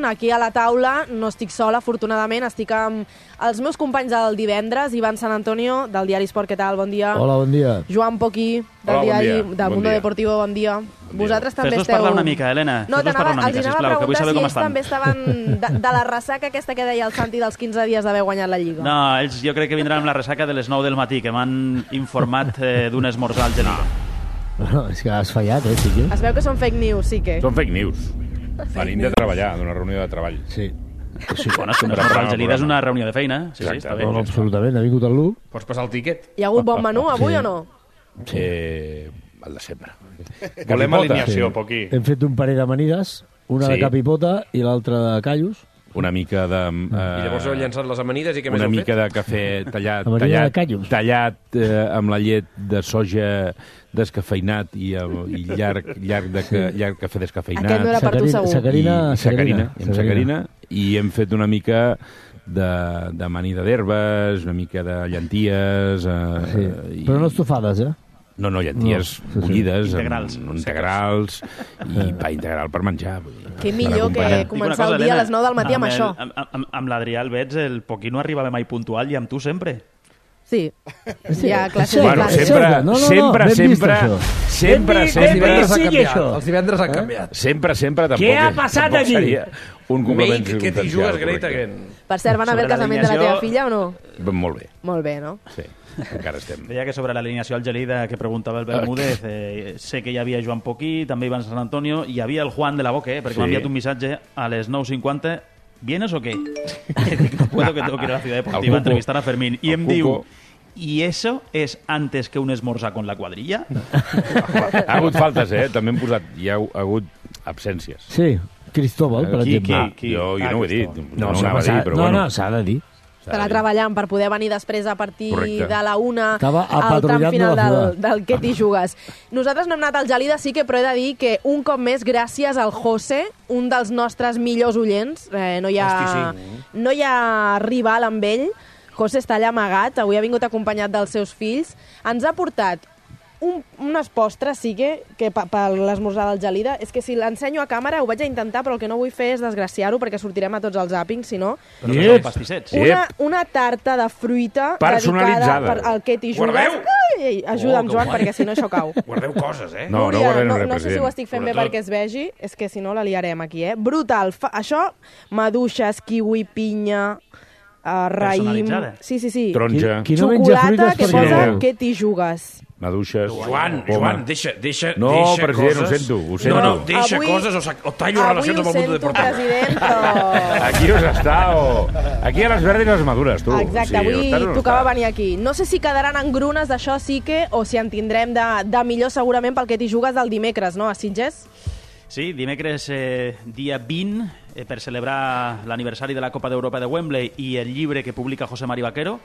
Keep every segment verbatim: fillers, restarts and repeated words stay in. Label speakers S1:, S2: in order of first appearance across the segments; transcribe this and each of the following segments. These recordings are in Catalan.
S1: Aquí a la taula no estic sola, afortunadament, estic amb els meus companys del divendres, Ivan San Antonio, del diari Esport, què tal? Bon dia.
S2: Hola, bon dia.
S1: Joan Poquí, del
S3: Hola,
S1: diari
S3: bon dia.
S1: del
S3: Bon
S1: Mundo
S3: dia.
S1: Deportivo, bon dia. Bon Vosaltres
S3: dia.
S1: també
S4: Fes-nos
S1: esteu...
S4: parlar una mica, Helena.
S1: No,
S4: Fes-nos parlar una
S1: els
S4: mica,
S1: anava
S4: sisplau,
S1: a
S4: que vull
S1: preguntar
S4: saber
S1: si
S4: com
S1: ells
S4: estan.
S1: també estaven de, de la ressaca aquesta que deia el Santi dels quinze dies d'haver guanyat la Lliga.
S4: No, ells jo crec que vindran amb la ressaca de les nou del matí, que m'han informat eh, d'un esmorzar al Gelida.
S2: Bueno, és que has fallat, eh, sí que?
S1: Es veu que són fake news, sí que.
S3: Són fake news. Venim de treballar, d'una reunió de treball.
S2: Sí. sí.
S4: Bueno, és que un esmorzar al Gelida és una reunió de feina. Sí, sí, està bé.
S2: No, no, absolutament, ha vingut el Lu.
S5: Pots passar el tíquet?
S1: Hi ha hagut bon menú avui
S2: Sí.
S1: o no?
S2: Sí.
S3: Eh, el de sempre.
S5: Volem
S3: Capipota.
S5: alineació, Poquí.
S2: Hem fet un parell d'amanides, una
S3: Sí.
S2: de capipota i l'altra de callos.
S3: Una mica de...
S5: I llavors heu
S3: Eh,
S5: llançat les amanides i què més
S3: una
S5: heu
S3: mica
S5: fet?
S3: de cafè tallat,
S2: Amanida de
S3: tallat,
S2: callos.
S3: tallat eh, amb la llet de soja descafeinat i, el, i llarg, llarg, de, ca- llarg cafè descafeinat.
S1: Aquest no era per tu,
S2: Sacarina-
S1: segur.
S2: Sacarina,
S3: I sacarina, i amb
S2: sacarina.
S3: sacarina, i hem fet una mica de, de amanida d'herbes, una mica de llenties... Eh,
S2: Sí.
S3: i,
S2: Però no estufades, eh?
S3: No, no, llenties
S2: No, sí, sí.
S3: bullides,
S4: Integrals.
S3: amb, integrals, i pa integral per menjar. Vull dir,
S1: Què
S3: per
S1: millor que
S3: acompanyar.
S4: Dic una
S1: començar
S4: cosa,
S1: el dia a
S4: Helena,
S1: les nou del matí amb,
S4: el-
S1: això.
S4: Amb, amb, amb l'Adrià Albets, el Poquí no arribava mai puntual i amb tu sempre.
S1: Sí,
S2: Sí.
S1: hi ha classes
S2: Sí.
S1: de
S3: Bueno,
S1: classes.
S3: sempre,
S2: No, no, no,
S3: sempre,
S2: ben vist,
S3: sempre,
S2: això.
S3: sempre,
S2: Ben vist,
S3: sempre,
S2: ben vist.
S5: ha
S2: sigui
S5: canviat.
S2: això.
S5: Els divendres han canviat.
S3: sempre, sempre, tampoc,
S2: Què ha
S3: és-
S2: passat
S3: tampoc
S2: aquí?
S3: seria un complement
S5: Make que t'hi
S3: circumstancial,
S5: jugues great
S3: correcte.
S5: again.
S1: Per cert, van a ver el
S4: Sobre
S1: casament de la teva
S4: l'alineació-
S1: filla o no?
S3: Molt bé,
S1: Molt bé, no?
S3: sí, encara estem.
S4: Deia que sobre l'alineació al Gelida que preguntava el Bermúdez, eh, sé que hi havia Joan Poquí, també Ivan San Antonio, i hi havia el Juan de la Boque, eh, perquè
S3: Sí.
S4: m'ha enviat un missatge a les nou cinquanta. ¿Vienes o qué? Dic, no puedo, que tengo que ir a la ciudad
S3: El
S4: deportiva a
S3: Cuco.
S4: entrevistar a Fermín. I
S3: El
S4: em
S3: Cuco.
S4: diu, ¿y eso es antes que un esmorzar con la cuadrilla?
S3: Ha hagut faltes, eh? També hem posat, hi ha hagut absències.
S2: Sí, Cristóbal, per
S4: Qui,
S2: exemple.
S4: qui?
S3: Jo, jo
S4: Ah,
S3: no ho he dit,
S4: Cristóbal.
S3: no, no ho
S2: s'ha
S3: anava a dir,
S2: passat.
S3: però
S2: no,
S3: bueno.
S2: no, s'ha de dir.
S1: Estarà treballant per poder venir després a partir
S3: Correcte.
S1: de la una
S2: Estava
S1: al tram
S2: apatrullant
S1: final
S2: de la
S1: del,
S2: ciutat.
S1: del Què t'hi jugues. Nosaltres no hem anat al Gelida, sí que, però he de dir que un cop més, gràcies al José, un dels nostres millors oients, eh, no, hi ha,
S5: Hosti,
S1: no hi ha rival amb ell, José està allà amagat, avui ha vingut acompanyat dels seus fills, ens ha portat un, unes postres, sí que, que per, per l'esmorzar del Gelida, és que si l'ensenyo a càmera ho vaig a intentar, però el que no vull fer és desgraciar-ho, perquè sortirem a tots els àpings, si no.
S4: Però que són pastissets.
S3: Sí.
S1: Una, una tarta de fruita
S3: Personalitzada.
S1: dedicada per al que t'hi jugues.
S5: Guardeu!
S1: Ai, ajuda'm,
S5: Oh, que
S1: Joan,
S5: guai.
S1: perquè si no això cau.
S5: Guardeu coses, eh?
S3: No, no
S1: Núria,
S3: guardarem
S1: no,
S3: res,
S1: no sé si ho
S3: president.
S1: estic fent bé
S5: Sobretot.
S1: perquè es vegi, és que si no la liarem aquí, eh? Brutal. Fa, això, maduixes, kiwi, pinya, uh, raïm...
S4: Personalitzada.
S1: Sí, sí, sí.
S3: Taronja,
S2: Qui no menja
S1: Xocolata
S2: fruites
S1: que
S2: perquè
S1: posa
S2: no vol.
S1: que t'hi jugues.
S3: maduixes...
S5: Joan,
S3: poma.
S5: Joan, deixa, deixa,
S3: No,
S5: deixa
S3: president,
S5: coses.
S3: ho sento, ho sento.
S5: No, no, deixa
S1: Avui-
S5: coses o, sa- o tallo
S1: Avui
S5: relacions
S1: ho
S5: amb el mundo
S1: sento,
S5: deportiu.
S1: president, però...
S3: Aquí us està, o... Aquí a les verdes i les madures, tu.
S1: Exacte, avui
S3: o estàs o no
S1: tocava
S3: estàs?
S1: venir aquí. No sé si quedaran engrunes d'això sí que, o si en tindrem de, de millor segurament pel que t'hi jugues del dimecres, no, a Sitges?
S4: Sí, dimecres eh, dia vint, eh, per celebrar l'aniversari de la Copa d'Europa de Wembley i el llibre que publica José Mari Vaquero.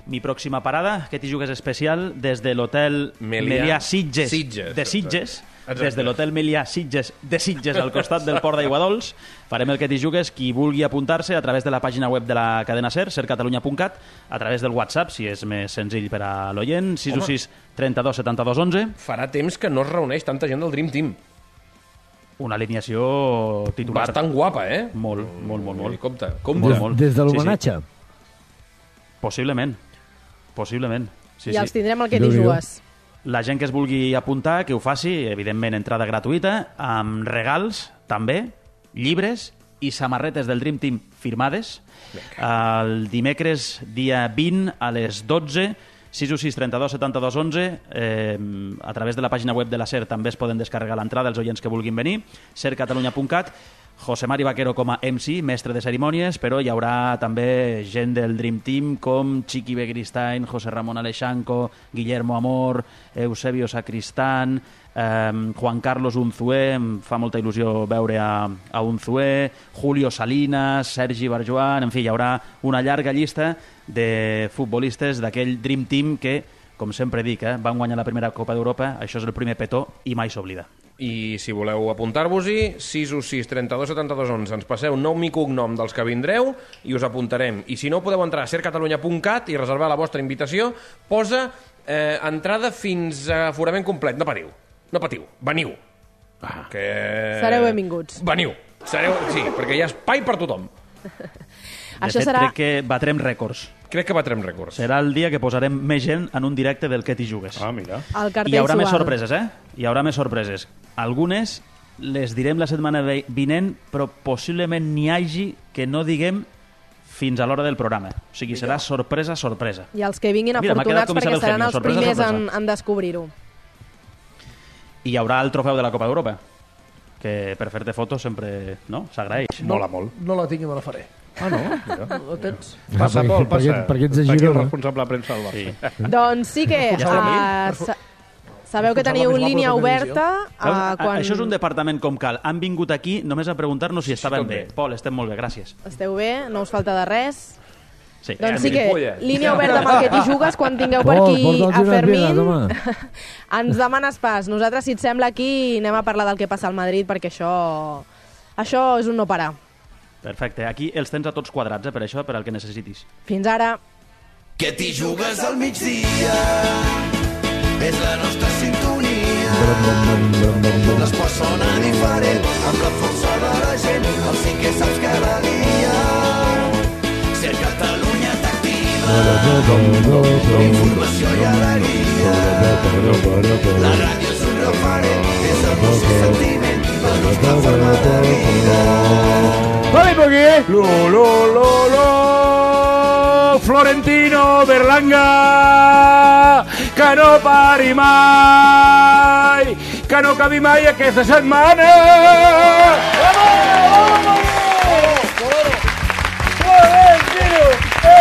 S4: Mi pròxima parada, que t'hi jugues especial, des de l'hotel
S5: Melià
S4: Melià Sitges,
S5: Sitges,
S4: de Sitges,
S5: exacte.
S4: des de l'hotel Melià Sitges de Sitges, al costat del port d'Aiguadols. Farem el que t'hi jugues. Qui vulgui apuntar-se a través de la pàgina web de la cadena SER, ser catalunya punt cat, a través del WhatsApp, si és més senzill per a l'oient, sis u sis trenta-dos setanta-dos onze.
S5: Farà temps que no es reuneix tanta gent del Dream Team.
S4: Una alineació titular.
S5: Bastant guapa, eh?
S4: Molt, molt, molt, molt.
S5: Compte,
S4: Molt,
S5: compte.
S4: molt.
S2: Des de
S4: Sí, sí.
S2: l'homenatge.
S4: Possiblement. Possiblement. Sí,
S1: I els
S4: sí.
S1: tindrem al que t'hi
S2: Déu-n'hi-do.
S1: jugues.
S4: La gent que es vulgui apuntar, que ho faci, evidentment, entrada gratuïta, amb regals, també, llibres i samarretes del Dream Team firmades. El dimecres, dia vint, a les dotze, sis u sis trenta-dos setanta-dos onze, eh, a través de la pàgina web de la SER també es poden descarregar l'entrada els oients que vulguin venir, ser catalunya punt cat. José Mari Vaquero com a M C, mestre de cerimònies, però hi haurà també gent del Dream Team com Chiqui Begristain, José Ramón Alexanco, Guillermo Amor, Eusebio Sacristán, eh, Juan Carlos Unzué, em fa molta il·lusió veure a, a Unzué, Julio Salinas, Sergi Barjoan, en fi, hi haurà una llarga llista de futbolistes d'aquell Dream Team que, com sempre dic, eh, van guanyar la primera Copa d'Europa, això és el primer petó i mai s'oblida.
S5: I si voleu apuntar-vos-hi, sis u sis trenta-dos setanta-dos onze. Ens passeu nom i cognom dels que vindreu i us apuntarem. I si no, podeu entrar a ser catalunya punt cat i reservar la vostra invitació. Posa eh, entrada fins a aforament complet. No patiu, no patiu, veniu.
S3: Ah.
S5: Que...
S1: Sereu benvinguts.
S5: Veniu. Sereu... Sí, perquè hi ha espai per tothom.
S4: De
S1: Això
S4: fet,
S1: serà...
S4: crec que batrem rècords.
S5: Crec que batrem rècords.
S4: Serà el dia que posarem més gent en un directe del Que t'hi jugues.
S5: Ah, mira.
S1: el
S4: I
S1: cartell
S4: hi haurà més
S1: suau.
S4: sorpreses, eh? Hi haurà més sorpreses. Algunes les direm la setmana ve- vinent, però possiblement n'hi hagi que no diguem fins a l'hora del programa. O sigui, serà sorpresa, sorpresa.
S1: I els que vinguin
S4: Mira, m'ha quedat
S1: afortunats
S4: com
S1: perquè
S4: Isabel
S1: seran
S4: Gemio,
S1: els
S4: sorpresa,
S1: primers en,
S4: sorpresa.
S1: en descobrir-ho.
S4: I hi haurà el trofeu de la Copa d'Europa, que per fer-te fotos sempre no? s'agraeix.
S5: Mola molt.
S6: No la tinc i me la faré.
S5: Ah, no? Mira.
S6: Ho tens?
S5: Passa,
S2: perquè-
S5: Pol, passa.
S2: perquè- perquè ets de
S5: Està aquí el
S2: Girona.
S5: responsable de premsa del Barça.
S4: Sí.
S1: Doncs sí que...
S4: Ja està
S1: uh, sa sabeu que teniu
S6: Responsable
S1: línia
S6: més guapo de la
S1: oberta
S4: Veus?
S1: uh,
S4: A-
S1: quan
S4: Això és un departament com cal. Han vingut aquí només a preguntar-nos si estaven
S5: tot
S4: bé.
S5: bé.
S4: Pol, estem molt bé, gràcies.
S1: esteu bé, no us falta de res.
S4: Sí.
S1: Doncs sí que
S5: gilipolles.
S1: línia oberta amb el Que t'hi jugues quan tingueu per
S2: Pol,
S1: aquí
S2: porta'ls
S1: a
S2: unes
S1: Fermín.
S2: birres, home.
S1: Ens demanes pas. Nosaltres, si et sembla, aquí anem a parlar del que passa al Madrid perquè això, això és un no parar.
S4: Perfecte. Aquí els tens a tots quadrats, eh, per això, per al que necessitis.
S1: Fins ara.
S7: Que t'hi jugues al migdia és la nostra sintonia. L'esport sona diferent amb la força de la gent. El sí que saps cada dia. Ser Catalunya t'activa. Informació i alegria. La ràdio és un referent. És emoció i sentiment. La nostra forma de vida.
S3: Vale, porque lo, lo, lo, lo, Florentino Berlanga, que no pari mai, que no acabi mai aquesta setmana.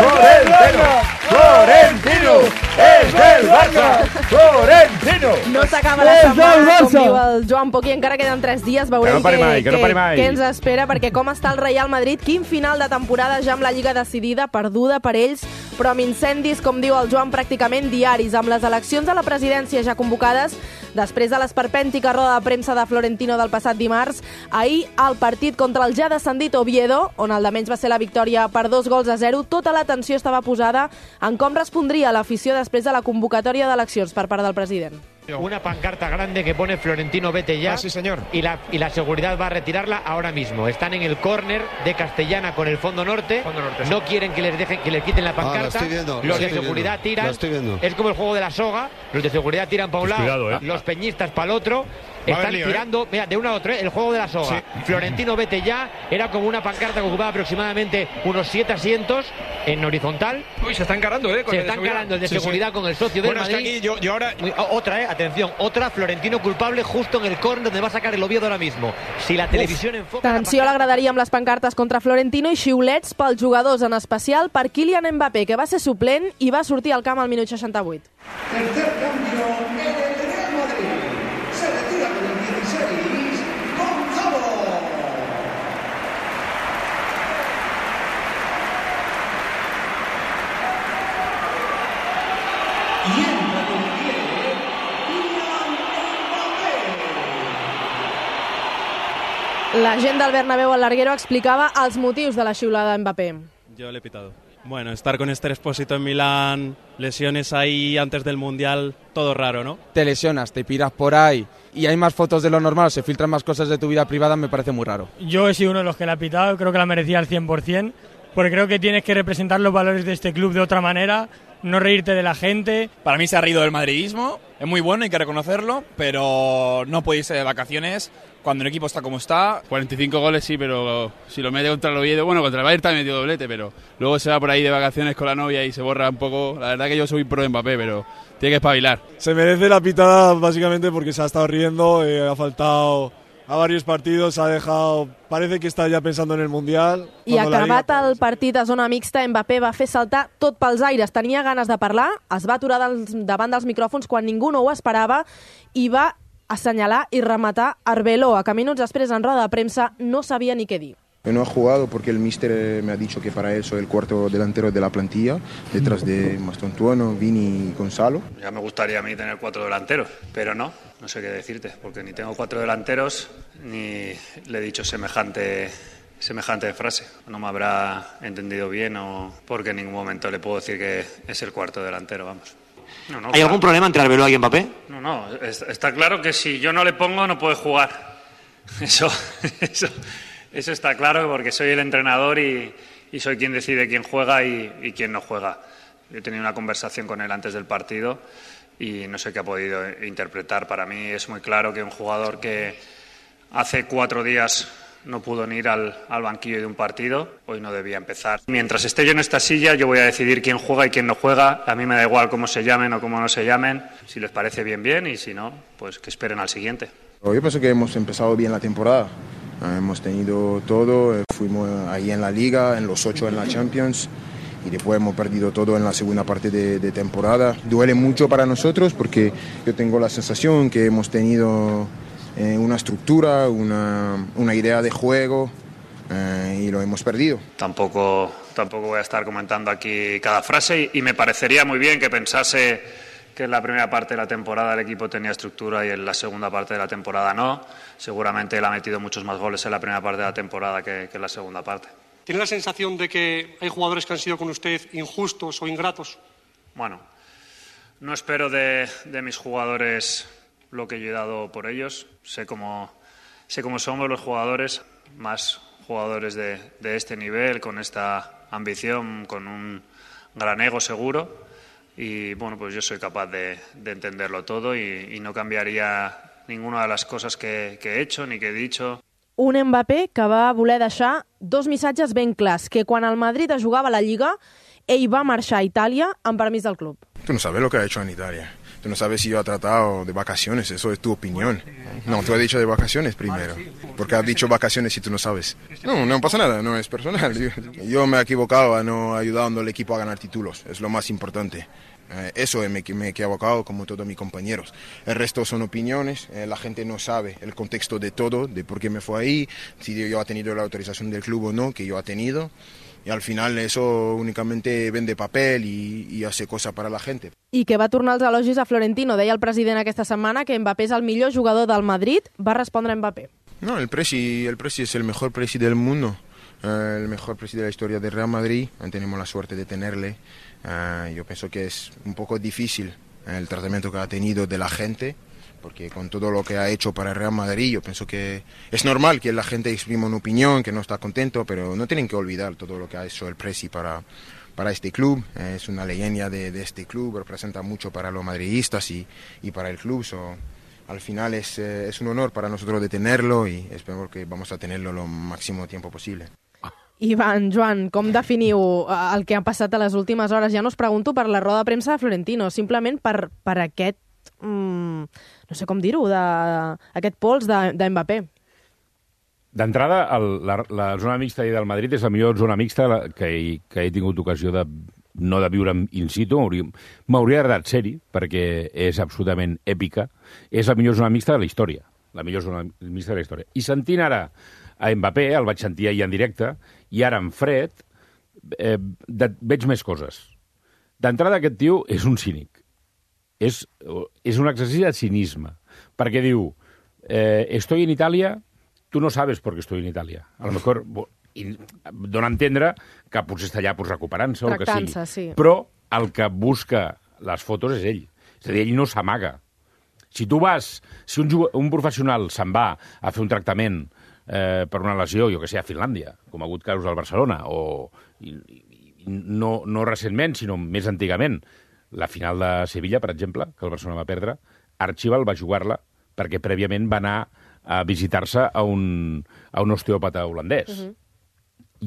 S3: Florentino, Florentino, és del Barça, Florentino.
S1: No s'acaba la
S2: És del
S1: setmana, com
S2: Barça.
S1: diu el Joan Poqui, encara queden tres dies, veurem
S3: Que no pari
S1: què,
S3: mai, que no
S1: què-
S3: pari mai.
S1: què ens espera, perquè com està el Real Madrid, quin final de temporada ja amb la Lliga decidida, perduda per ells, però amb incendis, com diu el Joan, pràcticament diaris, amb les eleccions a la presidència ja convocades, després de l'esperpèntica roda de premsa de Florentino del passat dimarts, ahir el partit contra el ja descendit Oviedo, on el de menys va ser la victòria per dos gols a zero, tota l'atenció estava posada en com respondria l'afició després de la convocatòria d'eleccions per part del president.
S8: Una pancarta grande que pone Florentino vete ya.
S6: Ah, sí, señor.
S8: Y la, y la seguridad va a retirarla ahora mismo. Están en el córner de Castellana con el fondo norte.
S6: Fondo norte, sí.
S8: No quieren que les dejen que les quiten la pancarta.
S9: Ah, la estoy viendo, la
S8: los de
S9: estoy
S8: seguridad
S9: viendo,
S8: tiran.
S9: la estoy viendo.
S8: Es como el juego de la soga. Los de seguridad tiran para un lado,
S3: cuidado, eh.
S8: los peñistas para el otro.
S6: Va a
S8: Están
S6: haber lío,
S8: tirando, mira, de uno a otro, ¿eh? El juego de la soga. Florentino vete ya. Era como una pancarta que ocupaba aproximadamente unos siete asientos en horizontal.
S6: Uy, se está encarando, ¿eh? Con
S8: Se
S6: el de
S8: está
S6: seguridad.
S8: encarando el de
S6: Sí, sí.
S8: seguridad con el socio del
S6: Bueno, es que
S8: Madrid.
S6: aquí yo, yo ahora...
S8: Muy- o- Otra, eh, atención, otra, Florentino culpable justo en el córner donde va a sacar el Oviedo ahora mismo. Si la televisión enfoca... la
S1: Tensió a la
S8: pancarta-
S1: graderia amb les pancartes contra Florentino i xiulets pels jugadors, en especial per Kylian Mbappé, que va ser suplent i va sortir al camp al minut seixanta-vuit.
S7: Tercer cambio en el Real Madrid. Se retira con el dieciséis, Gonzalo. Y entra con el diez, Kylian Mbappé.
S1: La gent del Bernabéu al Larguero explicava els motius de la xiulada a Mbappé.
S10: Yo le he pitado. Bueno, estar con Esther Expósito en Milán, lesiones ahí antes del Mundial, todo raro, ¿no?
S11: Te lesionas, te piras por ahí y hay más fotos de lo normal, se filtran más cosas de tu vida privada, me parece muy raro.
S12: Yo he sido uno de los que la ha pitado, creo que la merecía al cien por ciento, porque creo que tienes que representar los valores de este club de otra manera, no reírte de la gente.
S13: Para mí se ha reído del madridismo, es muy bueno, hay que reconocerlo, pero no puede irse de vacaciones cuando el equipo está como está.
S14: cuarenta y cinco goles sí, pero si lo mete contra el Oviedo, bueno, contra el Bayern también metió doblete, pero luego se va por ahí de vacaciones con la novia y se borra un poco. La verdad que yo soy pro de Mbappé, pero tiene que espabilar.
S15: Se merece la pitada básicamente porque se ha estado riendo, eh, ha faltado a varios partidos, ha dejado... Parece que está ya pensando en el Mundial.
S1: I acabat el partit a zona mixta, Mbappé va fer saltar tot pels aires. Tenia ganes de parlar, es va aturar dels, davant dels micròfons quan ningú no ho esperava i va assenyalar i rematar Arbeloa, que minuts després en roda de premsa no sabia ni què dir.
S16: No ha jugado porque el míster me ha dicho que para él soy el cuarto delantero de la plantilla, detrás de Mastontuono, Vini y Gonzalo.
S17: Ya me gustaría a mí tener cuatro delanteros, pero no, no sé qué decirte, porque ni tengo cuatro delanteros ni le he dicho semejante, semejante frase. No me habrá entendido bien o porque en ningún momento le puedo decir que es el cuarto delantero, vamos. No, no,
S8: ¿Hay
S17: claro.
S8: algún problema entre Arbeloa y Mbappé?
S17: No, no, es- está claro que si yo no le pongo no puede jugar. Eso, eso, Eso está claro porque soy el entrenador y, y soy quien decide quién juega y, y quién no juega. Yo he tenido una conversación con él antes del partido y no sé qué ha podido interpretar. Para mí es muy claro que un jugador que hace cuatro días no pudo ni ir al, al banquillo de un partido, hoy no debía empezar. Mientras esté yo en esta silla, yo voy a decidir quién juega y quién no juega. A mí me da igual cómo se llamen o cómo no se llamen. Si les parece bien, bien, y si no, pues que esperen al siguiente.
S16: Yo pienso que hemos empezado bien la temporada. Hemos tenido todo, fuimos ahí en la Liga, en los ocho en la Champions, y después hemos perdido todo en la segunda parte de, de temporada. Duele mucho para nosotros porque yo tengo la sensación que hemos tenido eh, una estructura, una, una idea de juego eh, y lo hemos perdido.
S17: Tampoco, tampoco voy a estar comentando aquí cada frase y, y me parecería muy bien que pensase que en la primera parte de la temporada el equipo tenía estructura y en la segunda parte de la temporada no. Seguramente él ha metido muchos más goles en la primera parte de la temporada que, que en la segunda parte.
S9: ¿Tiene la sensación de que hay jugadores que han sido con usted injustos o ingratos?
S17: Bueno, no espero de, de mis jugadores lo que yo he dado por ellos. Sé cómo, sé cómo somos los jugadores, más jugadores de, de este nivel, con esta ambición, con un gran ego seguro. Y bueno, pues yo soy capaz de, de entenderlo todo y, y no cambiaría ninguna de las cosas que, que he hecho ni que he dicho.
S1: Un Mbappé que va voler deixar dos missatges ben clars, que quan el Madrid jugava a la Lliga, ell va marxar a Itàlia amb permís del club.
S16: Tú no sabes lo que ha hecho en Italia. Tú no sabes si yo he tratado de vacaciones, eso es tu opinión. No, tú has dicho de vacaciones primero. Porque has dicho vacaciones si tú no sabes. No, no pasa nada, no es personal. Yo, yo me he equivocado a no ayudando al equipo a ganar títulos, es lo más importante. Eh, eso me, me he equivocado como todos mis compañeros. El resto son opiniones, eh, la gente no sabe el contexto de todo, de por qué me fue ahí, si yo he tenido la autorización del club o no, que yo he tenido. Y al final eso únicamente vende papel y, y hace cosas para la gente.
S1: I que va tornar els elogis a Florentino. Deia el president aquesta setmana que Mbappé és el millor jugador del Madrid. Va respondre Mbappé.
S16: No, el Presi, el Presi es el mejor Presi del mundo, eh, el mejor Presi de la historia del Real Madrid. Tenemos la suerte de tenerle. Eh, yo pienso que es un poco difícil el tratamiento que ha tenido de la gente, porque con todo lo que ha hecho para el Real Madrid, yo pienso que es normal que la gente exprima una opinión, que no está contento, pero no tienen que olvidar todo lo que ha hecho el Presi para, para este club. Es una leyenda de, de este club, representa mucho para los madridistas y, y para el club. So, al final es, eh, es un honor para nosotros de tenerlo y espero que vamos a tenerlo lo máximo tiempo posible.
S1: Ivan, Joan, com definiu el que ha passat a les últimes hores? Ja no us pregunto per la roda de premsa de Florentino, simplement per, per aquest, mm, no sé com dir-ho, aquest pols de, de Mbappé.
S3: D'entrada, la, la zona mixta del Madrid és la millor zona mixta que he, que he tingut ocasió de no de viure in situ, m'hauria agradat ser-hi, perquè és absolutament èpica. És la millor zona mixta de la història, la millor zona mixta de la història. I sentint ara a Mbappé, el vaig sentir ahir en directe, i ara en fred, eh, de, veig més coses. D'entrada, aquest tio és un cínic. És, és un exercici de cinisme, perquè diu, eh, estoy en Italia, tu no sabes por qué estoy en Italia. A lo mejor i dona a entendre que potser està allà pues, recuperant-se o el que sigui.
S1: Sí.
S3: Però el que busca les fotos és ell. És a dir, ell no s'amaga. Si tu vas, si un, un professional se'n va a fer un tractament eh, per una lesió, jo que sé, a Finlàndia, com ha hagut casos al Barcelona, o i, i no, no recentment, sinó més antigament, la final de Sevilla, per exemple, que el Barcelona va perdre, Archibald va jugar-la perquè prèviament va anar a visitar-se a un, a un osteòpata holandès. Uh-huh.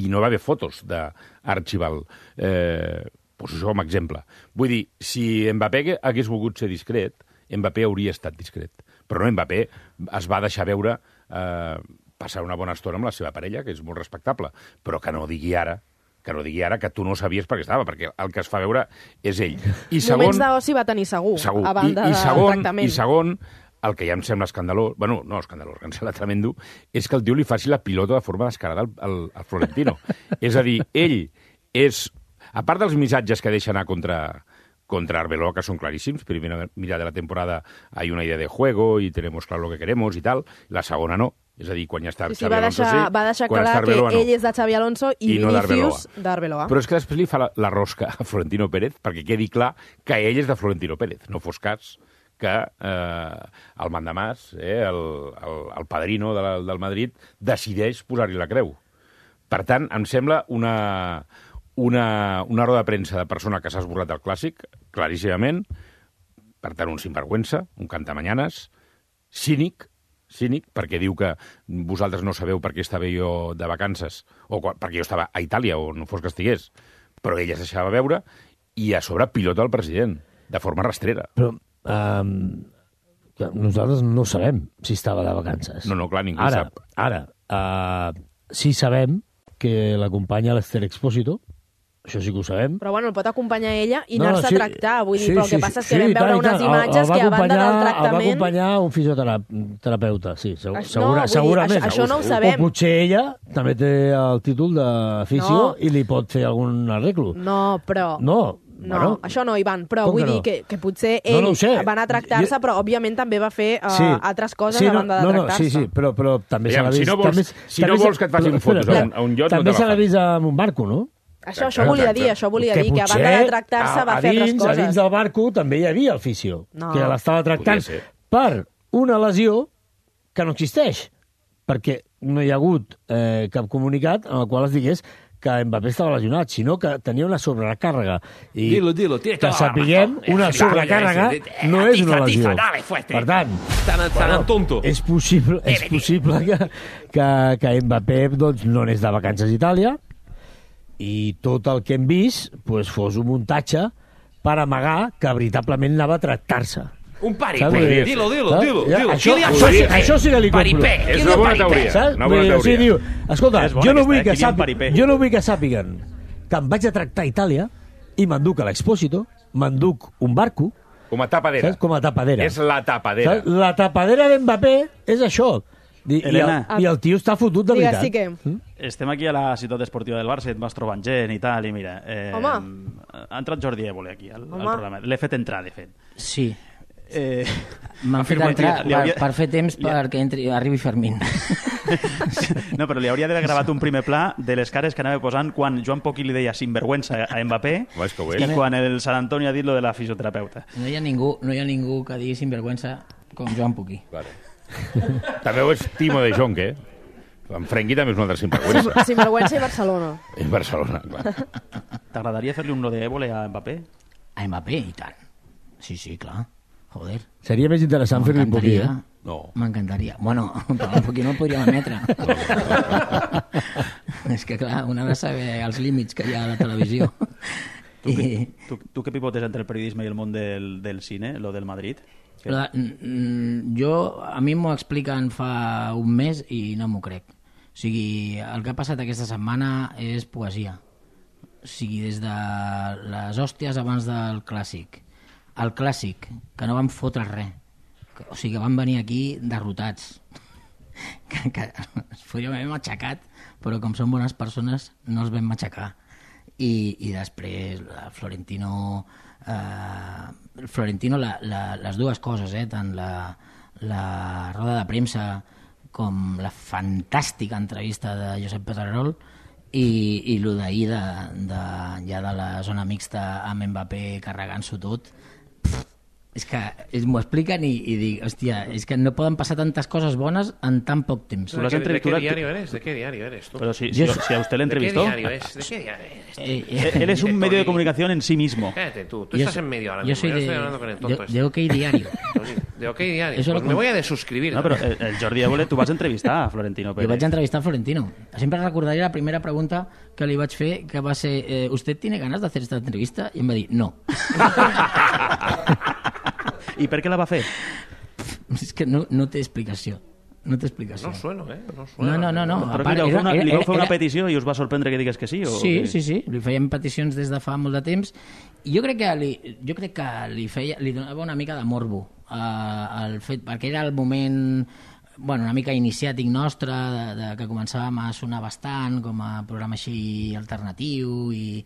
S3: I no va haver fotos d'Archibald. Eh, pues això com a exemple. Vull dir, si Mbappé hagués volgut ser discret, Mbappé hauria estat discret. Però no, Mbappé es va deixar veure eh, passar una bona estona amb la seva parella, que és molt respectable, però que no digui ara que no digui ara que tu no sabies per què estava, perquè el que es fa veure és ell. I segon,
S1: moments d'oci va tenir segur,
S3: segur.
S1: a banda
S3: I, i segon,
S1: del tractament.
S3: I segon, el que ja em sembla escandalós, bueno, no escandalós, que em sembla tremendo, és que el tio li faci la pilota de forma descarada al, al, al Florentino. És a dir, ell és... A part dels missatges que deixa anar contra, contra Arbeloa, que són claríssims, primera mirada de la temporada hay una idea de juego y tenemos claro lo que queremos i tal, la segona no. És a dir, quan ja està
S1: sí, sí,
S3: Xavi Alonso,
S1: deixar,
S3: sí.
S1: Va deixar
S3: Quan
S1: clar
S3: Arbeloa,
S1: que
S3: no.
S1: ell és de Xavi Alonso i,
S3: I no
S1: Vinícius d'Arbeloa.
S3: Però és que després li fa la, la rosca a Florentino Pérez perquè quedi clar que ell és de Florentino Pérez. No fos cas que eh, el mandamàs, eh, el, el, el padrino de la, del Madrid, decideix posar-hi la creu. Per tant, em sembla una, una, una roda de premsa de persona que s'ha esborrat del clàssic, claríssimament, per tant, un sinvergüenza, un cantamanyanes, cínic, cínic, perquè diu que vosaltres no sabeu per què estava jo de vacances, o perquè jo estava a Itàlia, o no fos que estigués, però ella es deixava veure, i a sobre pilota el president, de forma rastrera.
S2: Però um, nosaltres no sabem si estava de vacances.
S3: No, no, clar, ningú
S2: ara,
S3: sap.
S2: Ara, uh, sí sabem que l'acompanya l'Ester Expósito, això sí que ho sabem.
S1: Però bueno, el pot acompanyar ella i
S2: No,
S1: anar-se
S2: sí,
S1: a tractar, vull dir,
S2: sí,
S1: però el
S2: sí,
S1: que passa és que
S2: sí,
S1: vam
S2: i
S1: veure
S2: tant, i
S1: unes
S2: tant.
S1: imatges
S2: El va
S1: que a banda del
S2: acompanyar- El va
S1: tractament...
S2: acompanyar un fisioterapeuta, sí, segur,
S1: Això-
S2: segura,
S1: no, vull dir,
S2: segurament.
S1: això- això no ho sabem.
S2: O potser ella també té el títol de fisio
S1: No.
S2: i li pot fer algun arreglo.
S1: No, però...
S2: No,
S1: No,
S2: bueno,
S1: això no, Ivan, però
S2: Com
S1: vull
S2: que
S1: dir
S2: no?
S1: que, que potser
S2: No,
S1: ell
S2: no ho sé.
S1: va anar a tractar-se,
S2: Jo-
S1: però òbviament també va fer uh,
S2: Sí.
S1: altres coses
S2: Sí,
S1: a banda de
S2: no, no,
S1: tractar-se.
S2: sí, sí, però, però també s'ha
S3: Aviam,
S2: vist...
S3: si no vols-
S2: també,
S3: si no
S2: també
S3: vols que et facin
S2: però,
S3: fotos
S2: espera,
S3: a un- a un yacht, no
S2: també
S3: te la
S2: s'ha
S3: fan.
S2: vist amb un barco, no?
S1: Això, això volia dir, això volia dir, que a banda de tractar-se va
S2: a,
S1: fer
S2: a dins,
S1: altres coses.
S2: A dins del barco també hi havia el fisio,
S1: No.
S2: que l'estava tractant
S3: Podria ser.
S2: per una lesió que no existeix, perquè no hi ha hagut eh, cap comunicat en el qual es digués que Mbappé estava lesionat, sinó que tenia una sobrecàrrega. I
S5: Dilo, dilo, tiene
S2: que
S5: toda la
S2: sapiguem,
S5: razón.
S2: una
S5: Eh,
S2: sobrecàrrega
S5: eh,
S2: no és
S5: atiza,
S2: una lesió.
S5: atiza, dale, fuerte.
S2: Per tant,
S5: Tan, tan tonto.
S2: és possible, és possible que, que, que Mbappé doncs, no anés de vacances a Itàlia i tot el que hem vist pues, fos un muntatge per amagar que veritablement anava a tractar-se.
S5: Un paripé.
S2: Saps? Vull dir,
S5: Dilo, dilo,
S2: saps?
S5: dilo,
S2: Ja,
S5: dilo.
S2: Això,
S5: Kylian
S2: això, sí,
S5: Paripé.
S2: això sí que li compro.
S5: Paripé.
S3: És
S5: Kylian
S3: una bona
S5: Paripé.
S3: teoria.
S2: Saps?
S3: Una
S2: Vull
S3: bona
S2: dir, o sigui,
S3: teoria.
S2: diu, escolta,
S4: És bona
S2: jo no,
S4: aquesta,
S2: vull
S4: eh?
S2: que
S4: Kylian
S2: sàpiguen,
S4: Paripé.
S2: jo no vull que sàpiguen que em vaig a tractar a Itàlia i m'enduc a l'Expósito, m'enduc un barco,
S3: Com a tapadera.
S2: saps? Com a tapadera.
S3: És la tapadera.
S2: Saps? La tapadera d'Mbappé és això. I, i, el,
S4: Elena.
S2: I el tio està fotut de
S1: Digues,
S2: veritat.
S1: sí que...
S4: Estem aquí a la ciutat esportiva del Barça, et vas trobant gent i tal, i mira... Eh,
S1: Home.
S4: Ha entrat Jordi Évole aquí al, al
S1: Home.
S4: programa. L'he fet entrar, de fet.
S18: Sí.
S4: Eh,
S18: M'han fet
S4: afirmatiu.
S18: entrar
S4: Li
S18: per,
S4: hauria-
S18: per fer temps perquè entri, arribi Fermín.
S4: No, però li hauria d'haver gravat un primer pla de les cares que anava posant quan Joan Poquí li deia sinvergüenza a Mbappé
S3: Home, és que ho
S4: i
S3: és.
S4: quan el Sant Antoni ha dit lo de la fisioterapeuta.
S18: No hi ha ningú, no hi ha ningú que digui sinvergüenza com Joan Poquí.
S3: Vale. També ho és Timo de Jong, eh? En Frenkie també és un altre sinvergüenza.
S1: Sinvergüenza i Barcelona.
S3: És Barcelona, clar.
S4: T'agradaria fer-li un lo de Évole a Mbappé?
S18: A Mbappé, i tant. Sí, sí, clar. Joder.
S2: Seria més interessant fer-li un poquí, eh?
S3: No.
S18: M'encantaria. Bueno, però un poquí no el podríem emetre. És que, clar, un ha de saber els límits que hi ha a la televisió.
S4: Tu, I... tu, tu què pivotes entre el periodisme i el món del, del cine, lo del Madrid? Que...
S18: La, mm, jo, a mi m'ho expliquen fa un mes i no m'ho crec. O sigui, el que ha passat aquesta setmana és poesia. O sigui, des de les hòsties abans del clàssic, el clàssic, que no van fotre res. O sigui, que van venir aquí derrotats. Que, que es podríem haver matxacat, però com són bones persones no els vam matxacar. I, i després el Florentino eh, el Florentino la, la, les dues coses, eh, tant la, la roda de premsa com la fantàstica entrevista de Josep Pedrerol i, i el d'ahir de, de, ja de la zona mixta amb Mbappé carregant-s'ho tot. Pff, és que és, m'ho expliquen i, i dic, hòstia, és que no poden passar tantes coses bones en tan poc temps.
S5: ¿De, ¿De qué diario eres? ¿De qué diario eres tú?
S4: Pero si, si, si a usted le entrevistó...
S5: ¿De qué diario es? ¿De qué diario eres?
S18: Eh, eh,
S4: Él es un medio de comunicación en sí mismo.
S5: Cállate tú, tú
S18: Yo
S5: estás
S18: soy-
S5: en medio ahora
S18: yo
S5: mismo.
S18: soy
S5: Yo
S18: de-
S5: estoy hablando con el tonto
S18: de-
S5: este.
S18: de OK Diario.
S5: De OK Diario.
S18: Eso
S5: Pues
S18: lo
S5: me
S18: com-
S5: voy a desuscribir.
S4: No, però el, el Jordi Évole, tu vas entrevistar a Florentino
S18: Jo
S4: Pérez.
S18: vaig entrevistar a Florentino. Sempre recordaré la primera pregunta que li vaig fer, que va ser, eh, ¿usted tiene ganas de hacer esta entrevista? I em va dir, no.
S4: I per què la va fer?
S18: És que no, no té explicació. No té explicació.
S5: No sueno, eh? No
S18: No,
S5: sueno.
S18: no, no. no.
S4: Però
S18: A part,
S4: li vau fer una,
S18: era-
S4: li vau
S18: era-
S4: fer una
S18: era-
S4: petició i us va sorprendre que digués que sí? O
S18: Sí,
S4: que...
S18: sí, sí. Li fèiem peticions des de fa molt de temps. I jo crec que li, jo crec que li, feia, li donava una mica de morbo eh, el fet, perquè era el moment bueno, una mica iniciàtic nostre, de, de, que començàvem a sonar bastant com a programa així alternatiu, i,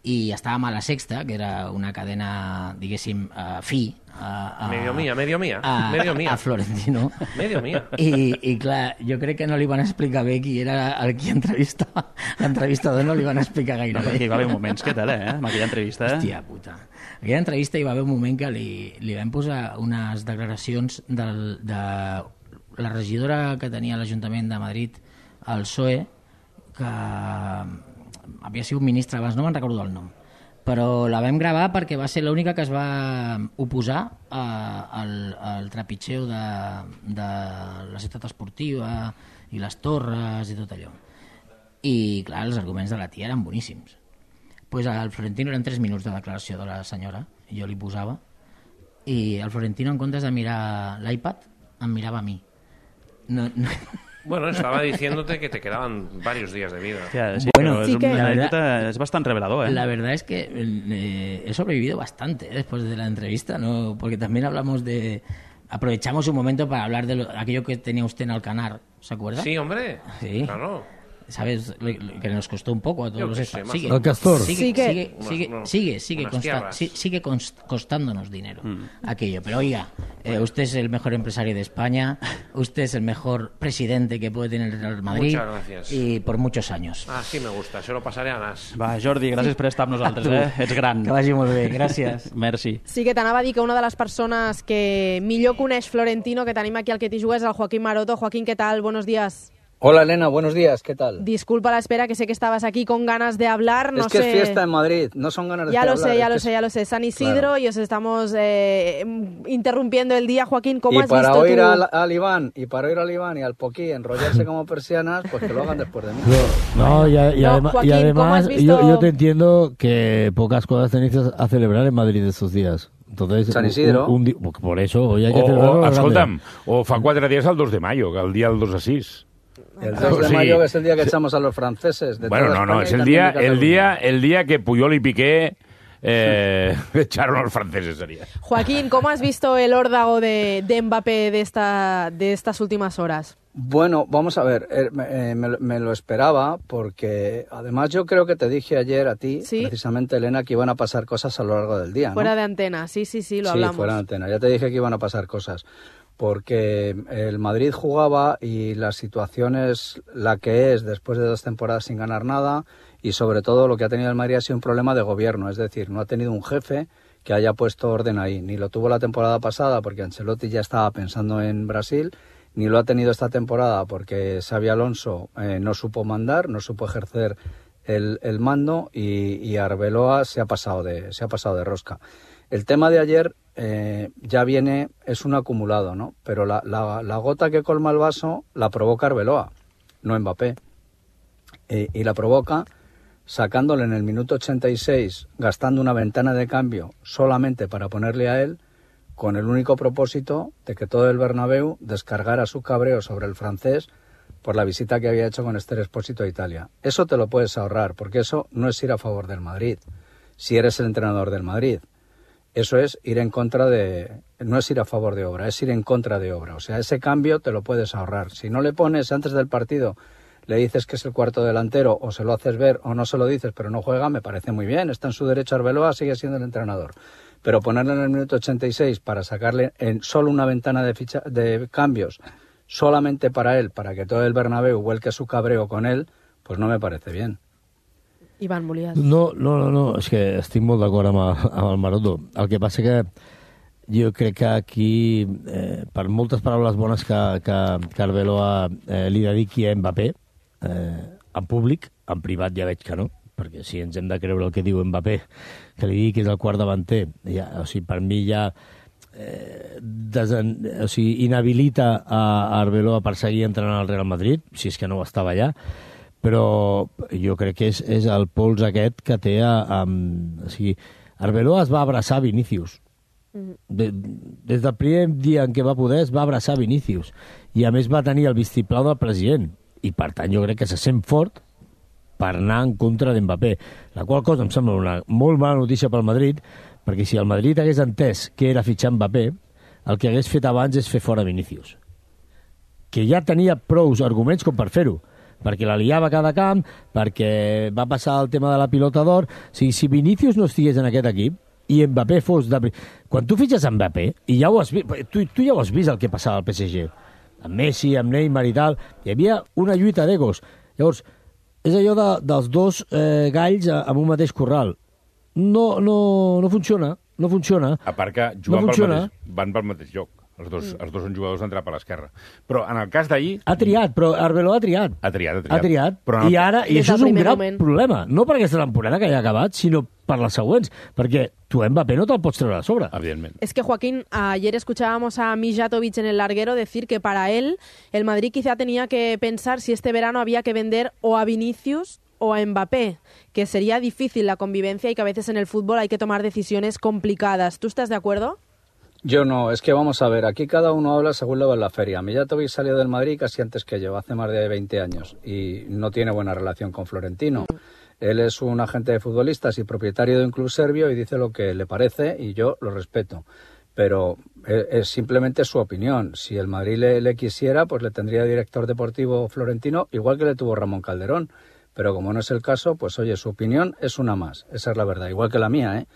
S18: i estàvem a La Sexta, que era una cadena, diguéssim, uh, fi. A, a,
S5: medio mía, medio mía,
S18: a,
S5: medio mía.
S18: A Florentino.
S5: Medio mía.
S18: I, I clar, jo crec que no li van explicar bé qui era el qui entrevistava. L'entrevistador no li van explicar gaire
S4: no,
S18: bé.
S4: Hi va haver moments, què tal, eh? Amb aquella entrevista. Eh?
S18: Hòstia puta. Aquella entrevista hi va haver un moment que li, li vam posar unes declaracions del, de la regidora que tenia l'Ajuntament de Madrid, el P S O E, que havia sigut ministre abans, no me'n recordo el nom, però la vam gravar perquè va ser l'única que es va oposar a, al, al trepitgeu de, de la ciutat esportiva i les torres i tot allò. I clar, els arguments de la tia eren boníssims. Pues al Florentino eren tres minuts de declaració de la senyora, i jo li posava, i el Florentino, en comptes de mirar l'iPad, em mirava a mi. No, no.
S5: Bueno, estaba diciéndote que te quedaban varios días de vida.
S4: Tía, sí,
S18: bueno,
S4: es,
S18: sí que,
S4: la
S18: verdad,
S4: verdad, es bastante revelador, ¿eh?
S18: La verdad es que eh, he sobrevivido bastante ¿eh? después de la entrevista, ¿no? Porque también hablamos de... Aprovechamos un momento para hablar de lo, aquello que tenía usted en Alcanar, ¿se acuerda?
S5: Sí, hombre.
S18: Sí.
S5: Claro.
S18: ¿Sabes? Que nos costó un poco a todos los
S5: sé,
S18: sigue,
S2: el Castor.
S18: Sigue,
S1: Sigue.
S18: sigue, sigue,
S5: Unos-
S18: sigue, sigue,
S5: unas
S18: consta-
S5: tierras.
S18: sí- sigue const- costándonos dinero
S4: Mm.
S18: aquello. Pero oiga, eh, usted es el mejor empresario de España, usted es el mejor presidente que puede tener el Real Madrid.
S5: Muchas gracias.
S18: Y por muchos años.
S5: Ah, sí me gusta, se lo pasaré a Nas.
S4: Va, Jordi, gràcies per estar amb nosaltres,
S18: Tu.
S4: eh? Ets gran.
S18: Que vagi molt bé, gràcies.
S4: Merci.
S1: Sí que t'anava a dir que una de les persones que millor coneix Florentino que tenim aquí al Que t'hi jugues és el Joaquín Maroto. Joaquín, ¿qué tal? Buenos días.
S19: Hola Elena, buenos días, ¿qué tal?
S1: Disculpa la espera, que sé que estabas aquí con ganas de hablar. No
S19: es que
S1: sé...
S19: es fiesta en Madrid, no son ganas de
S1: Ya lo
S19: hablar.
S1: sé, ya
S19: es
S1: lo
S19: que
S1: sé,
S19: es-
S1: ya lo sé. San Isidro
S19: Claro.
S1: y os estamos eh, interrumpiendo el día. Joaquín, ¿cómo
S19: Y
S1: has
S19: para
S1: visto
S19: oír
S1: tú?
S19: al, al Iván, y para oír al Iván y al Poquí enrollarse como persianas, pues que lo hagan después de mí.
S2: No, y, a- y
S1: No,
S2: adema-
S1: Joaquín,
S2: y
S1: ¿cómo
S2: además
S1: has visto-
S2: yo, yo te entiendo que pocas cosas tenéis a celebrar en Madrid estos días. Entonces,
S19: San
S2: un-
S19: Isidro.
S2: un di- por eso, hoy hay que
S3: O,
S2: celebrarlo.
S3: o,
S2: a la grande.
S3: escolta'm, o fa quatre dies el dos de mayo, que el dia del dos a sis.
S19: El dos de
S3: Sí.
S19: mayo, que es el día que echamos a los franceses. De
S3: Bueno,
S19: toda
S3: no, no,
S19: España
S3: es
S19: y
S3: el
S19: también
S3: día,
S19: de
S3: el
S19: Cataluña.
S3: día, el día que Puyol y Piqué eh, echaron a los franceses, sería.
S1: Joaquín, ¿cómo has visto el órdago de, de Mbappé de, esta, de estas últimas horas?
S19: Bueno, vamos a ver, eh, me, eh, me lo- me lo esperaba porque además yo creo que te dije ayer a ti,
S1: Sí.
S19: precisamente Elena, que iban a pasar cosas a lo largo del día, ¿no?
S1: Fuera de antena, sí, sí, sí, lo
S19: sí,
S1: hablamos.
S19: fuera de antena. Ya te dije que iban a pasar cosas. Porque el Madrid jugaba y la situación es la que es después de dos temporadas sin ganar nada, y sobre todo lo que ha tenido el Madrid ha sido un problema de gobierno, es decir, no ha tenido un jefe que haya puesto orden ahí. Ni lo tuvo la temporada pasada porque Ancelotti ya estaba pensando en Brasil, ni lo ha tenido esta temporada porque Xabi Alonso eh, no supo mandar, no supo ejercer el, el mando, y, y Arbeloa se ha pasado de, se ha pasado de rosca. El tema de ayer eh, ya viene, es un acumulado, ¿no? Pero la, la, la gota que colma el vaso la provoca Arbeloa, no Mbappé. Eh, y la provoca sacándole en el minuto ochenta y seis, gastando una ventana de cambio solamente para ponerle a él, con el único propósito de que todo el Bernabéu descargara su cabreo sobre el francés por la visita que había hecho con Esther Expósito a Italia. Eso te lo puedes ahorrar, porque eso no es ir a favor del Madrid, si eres el entrenador del Madrid. Eso es ir en contra de... No es ir a favor de obra, es ir en contra de obra. O sea, ese cambio te lo puedes ahorrar. Si no le pones antes del partido, le dices que es el cuarto delantero, o se lo haces ver o no se lo dices, pero no juega, me parece muy bien. Está en su derecho Arbeloa, sigue siendo el entrenador. Pero ponerle en el minuto ochenta y seis para sacarle en solo una ventana de, ficha, de cambios, solamente para él, para que todo el Bernabéu vuelque su cabreo con él, pues no me parece bien.
S1: Ivan, volies...
S2: No, no, no, no, és que estic molt d'acord amb, el- amb el Maroto. El que passa que jo crec que aquí, eh, per moltes paraules bones que, que, que Arbeloa eh, li dediqui a Mbappé, eh, en públic, en privat ja veig que no, perquè si ens hem de creure el que diu Mbappé, que li digui que és el quart davanter, ja, o sigui, per mi ja eh, desen, o sigui, inhabilita a Arbeloa per seguir entrenant al Real Madrid, si és que no ho estava allà, però jo crec que és, és el pols aquest que té a, a, o sigui, Arbeloa es va abraçar a Vinícius. De, des del primer dia en què va poder es va abraçar a Vinícius, i a més va tenir el vistiplau del president, i per tant jo crec que se sent fort per anar en contra d'Mbappé, la qual cosa em sembla una molt mala notícia pel Madrid, perquè si el Madrid hagués entès què era fitxar Mbappé, el que hagués fet abans és fer fora Vinícius. que ja tenia prous arguments com per fer-ho, perquè la liava cada camp, perquè va passar el tema de la pilota d'or. O sigui, si Vinícius no estigués en aquest equip i Mbappé fos... De... Quan tu fitxes Mbappé, i ja ho has vist, tu, tu ja ho has vist el que passava al P S G, amb Messi, amb Neymar i tal, hi havia una lluita d'egos. Llavors, és allò de, dels dos eh, galls en un mateix corral. No, no, no funciona, no funciona.
S3: A part que juguen
S2: no
S3: pel mateix, van pel mateix lloc. Els dos, mm. els dos són jugadors d'entrar per l'esquerra. Però en el cas d'ahir...
S2: Ha triat, però Arbeloa ha triat.
S3: Ha triat, ha triat.
S2: Ha triat.
S3: Però
S2: I ara, i això és un gran
S1: moment.
S2: problema. No per aquesta temporada que ja ha acabat, sinó per les següents. Perquè tu Mbappé no te'l pots treure a sobre.
S3: Evidentment.
S1: Es que, Joaquín, ayer escuchábamos a Mijatovic en el larguero decir que para él el Madrid quizá tenía que pensar si este verano había que vender o a Vinicius o a Mbappé, que sería difícil la convivencia y que a veces en el fútbol hay que tomar decisiones complicadas. ¿Tú estás de acuerdo?
S19: Yo no, es que vamos a ver, aquí cada uno habla según le va en la feria. Mijatovic salió del Madrid casi antes que yo, hace más de veinte años, y no tiene buena relación con Florentino. Él es un agente de futbolistas y propietario de un club serbio y dice lo que le parece y yo lo respeto. Pero es, es simplemente su opinión. Si el Madrid le, le quisiera, pues le tendría director deportivo Florentino, igual que le tuvo Ramón Calderón. Pero como no es el caso, pues oye, su opinión es una más, esa es la verdad, igual que la mía, ¿eh?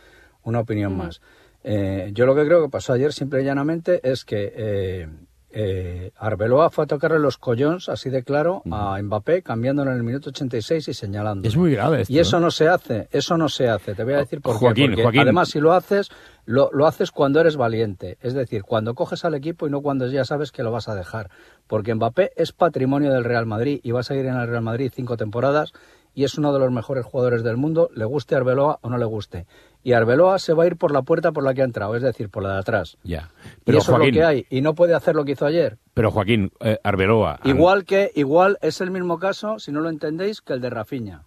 S19: Una opinión mm. más. Eh, yo lo que creo que pasó ayer, simple y llanamente, es que eh, eh, Arbeloa fue a tocarle los collons, así de claro, mm. a Mbappé, cambiándolo en el minuto ochenta y seis y señalando.
S2: Es muy grave esto.
S19: Y eso
S2: ¿eh?
S19: no se hace, eso no se hace. Te voy a decir por
S3: Joaquín,
S19: qué. Porque
S3: Joaquín.
S19: además, si lo haces, lo, lo haces cuando eres valiente. Es decir, cuando coges al equipo y no cuando ya sabes que lo vas a dejar. Porque Mbappé es patrimonio del Real Madrid y va a seguir en el Real Madrid cinco temporadas y es uno de los mejores jugadores del mundo, le guste a Arbeloa o no le guste. Y Arbeloa se va a ir por la puerta por la que ha entrado, es decir, por la de atrás.
S3: Ya. Pero,
S19: y eso
S3: Joaquín,
S19: es lo que hay, y no puede hacer lo que hizo ayer.
S3: Pero, Joaquín, eh, Arbeloa...
S19: Igual que, igual es el mismo caso, si no lo entendéis, que el de Rafinha.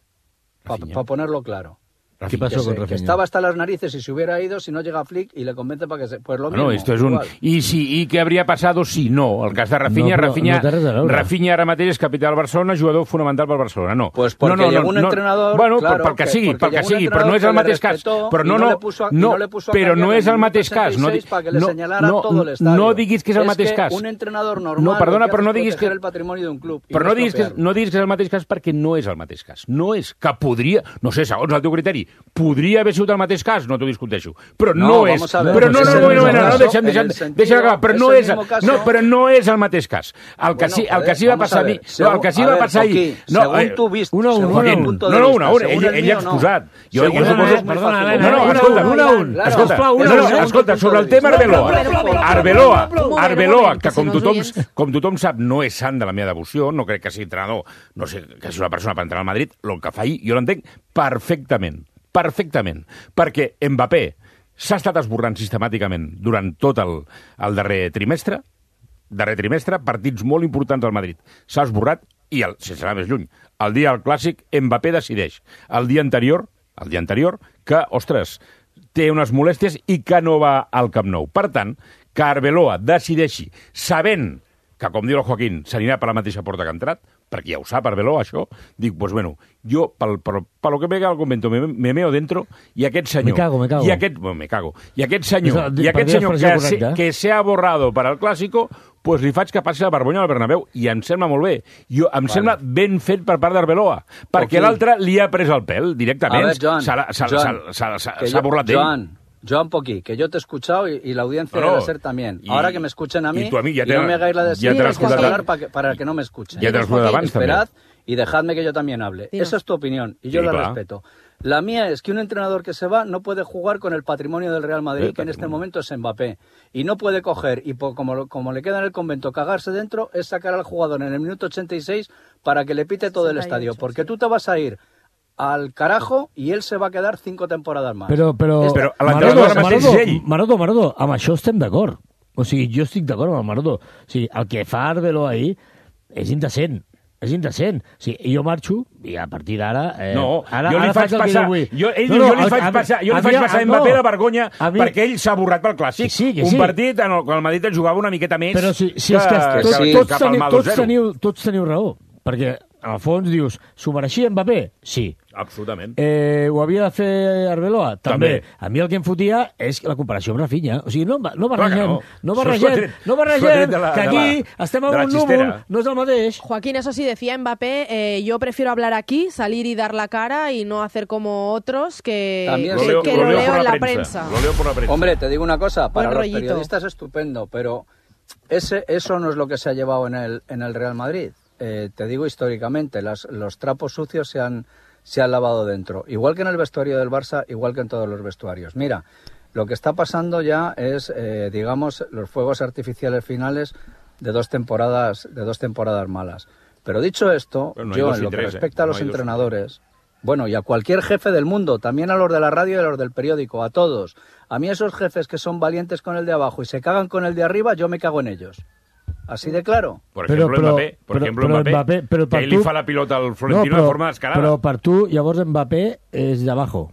S19: Para pa ponerlo claro.
S2: ¿Qué pasó
S19: que
S2: con
S19: se,
S2: Rafinha?
S19: Que estaba hasta las narices y se hubiera ido si no llega Flick y le convence para que se... Pues lo mismo.
S3: No, esto es un...
S19: igual.
S3: I, si, I què hauria passat si no? El cas de Rafinha,
S2: no,
S3: Rafinha,
S2: no té res a veure.
S3: Rafinha ara mateix és capità del Barcelona, jugador fonamental pel Barcelona. No.
S19: Pues porque
S3: no, no,
S19: llegó
S3: no,
S19: un
S3: no,
S19: entrenador...
S3: Bueno,
S19: claro,
S3: pel que sigui, pel que sigui, però no és el mateix cas. Però no, no, no, però no és el mateix cas. No, no, no, no diguis que és el mateix cas.
S19: Un entrenador normal...
S3: No, perdona, però no diguis que...
S19: el patrimoni d'un club.
S3: Però no diguis, que, no diguis que és el mateix cas perquè no és el mateix cas. No és que podria... No sé, segons el teu criteri, podria haver sigut el mateix cas, no t'ho discuteixo. Però no, no és...
S19: Ver,
S3: però no, no, no, no, no, no, deixa'm, deixa'm,
S19: sentido,
S3: deixa'm acabar. Però no és,
S19: caso,
S3: no, però no és el mateix cas. El que
S19: bueno,
S3: sí, el
S19: joder,
S3: que sí va passar a mi... No, el que sí va passar ahir... No,
S19: según tu vist,
S3: una, una,
S19: una,
S3: una,
S19: punto
S3: no,
S19: de
S3: no,
S19: vista,
S3: una, una, ell, ell ha exposat. Jo, jo suposo...
S2: Perdona,
S3: No, no, escolta, una a un. Escolta, escolta, sobre el tema Arbeloa. Arbeloa, Arbeloa, que com tothom, com tothom sap, no és sant de la meva devoció, no crec que sigui entrenador, no sé, que sigui una persona per entrar al Madrid, el que fa ahir, jo l'entenc perfectament, perfectament, perquè Mbappé s'ha estat esborrant sistemàticament durant tot el, el darrer trimestre, darrer trimestre, partits molt importants al Madrid. S'ha esborrat i, el, sense anar més lluny, el dia del Clàssic, Mbappé decideix el dia anterior, el dia anterior, que, ostres, té unes molèsties i que no va al Camp Nou. Per tant, que Arbeloa decideixi, sabent que, com diu el Joaquín, s'anirà per la mateixa porta que ha entrat, perquè ja ho sap Arbeloa, això, dic, pues bueno, jo, pel, pel, pel que me cago al convento, me, me meo dentro, i aquest senyor...
S2: Me cago, me cago.
S3: I aquest, bueno, me cago. I aquest senyor,
S2: és,
S3: i aquest senyor que, se,
S2: correcte.
S3: que se ha borrado per al Clàssico, pues li faig que passi la vergonya al Bernabéu, i em sembla molt bé. Jo, em vale. sembla ben fet per part d'Arbeloa, perquè okay. l'altre li ha pres el pèl directament. S'ha burlat d'ell.
S19: Joan, Joan Poquí, que yo te he escuchado y, y la audiencia no, debe ser también. Y, ahora que me escuchen a mí, y, a mí, ya te, y no me hagáis la de
S3: ya
S19: hablar para que, para que no me escuchen.
S3: Ya te lo escuchado abans,
S19: Esperad y dejadme que yo también hable. Sí, Esa es tu opinión y yo sí, la claro. respeto. La mía es que un entrenador que se va no puede jugar con el patrimonio del Real Madrid, sí, que en este momento es Mbappé. Y no puede coger, y por, como, como le queda en el convento, cagarse dentro, es sacar al jugador en el minuto ochenta y seis para que le pite todo el estadio. Porque tú te vas a ir al carajo i ell se va quedar cinco temporades més.
S2: Però, però,
S3: però
S2: Maroto, Maroto, Maroto, Maroto, amb això estem d'acord. O sigui, jo estic d'acord amb el Maroto. O sigui, el que fa Arbeloa ahir és indecent. És indecent. O sigui, jo marxo i a partir d'ara... Eh,
S3: no,
S2: ara,
S3: jo li
S2: ara
S3: faig passar... Jo, ell no, no, jo li faig a, passar, jo li faig passar a Mbappé la vergonya mi, perquè ell s'ha borrat pel Clàssic. Sí, sí, un sí. partit en el qual el Madrid jugava una miqueta més
S2: però si, si
S3: que,
S2: és que,
S3: que,
S2: sí.
S3: que,
S2: tots,
S3: que
S2: teniu, tots, teniu, tots teniu raó. Perquè en el fons dius, s'ho mereixia Mbappé? Sí.
S3: Absolutament.
S2: Eh, ho havia de fer Arbeloa? També.
S3: També.
S2: A mi el que em fotia és la comparació amb Rafinha. O sigui, no, no barregem,
S3: no.
S2: no barregem, no barregem
S3: la,
S2: que aquí
S3: la,
S2: estem en un núvol, no és el mateix.
S1: Joaquín, eso sí, decía Mbappé, eh, yo prefiero hablar aquí, salir y dar la cara y no hacer como otros que,
S19: También
S1: que,
S19: lo
S1: que
S19: leo,
S1: lo,
S19: lo
S1: leo
S19: por
S1: en
S19: la
S1: la
S19: prensa.
S1: prensa.
S3: Lo leo por la prensa.
S19: Hombre, te digo una cosa, para
S1: Buen
S19: los
S1: rollito.
S19: periodistas estupendo, pero ese, eso no es lo que se ha llevado en el, en el Real Madrid. Eh, te digo históricamente, las, los trapos sucios se han, se han lavado dentro. Igual que en el vestuario del Barça, igual que en todos los vestuarios. Mira, lo que está pasando ya es, eh, digamos, los fuegos artificiales finales de dos temporadas, de dos temporadas malas. Pero dicho esto,
S3: Pero no hay
S19: yo
S3: dos
S19: en
S3: y
S19: lo que
S3: tres,
S19: respecta
S3: ¿eh?
S19: a los
S3: No hay dos y
S19: entrenadores, bueno, y a cualquier jefe del mundo, también a los de la radio y a los del periódico, a todos. A mí esos jefes que son valientes con el de abajo y se cagan con el de arriba, yo me cago en ellos. Así de claro.
S3: Por
S2: Però-
S3: ejemplo,
S2: però-
S3: Mbappé, por
S2: però-
S3: ejemplo,
S2: però
S3: Mbappé,
S2: Mbappé, però per
S3: que ell li
S2: tu-
S3: fa la pilota al Florentino
S2: no,
S3: de forma descarada.
S2: Però per tu, llavors, Mbappé és de abajo.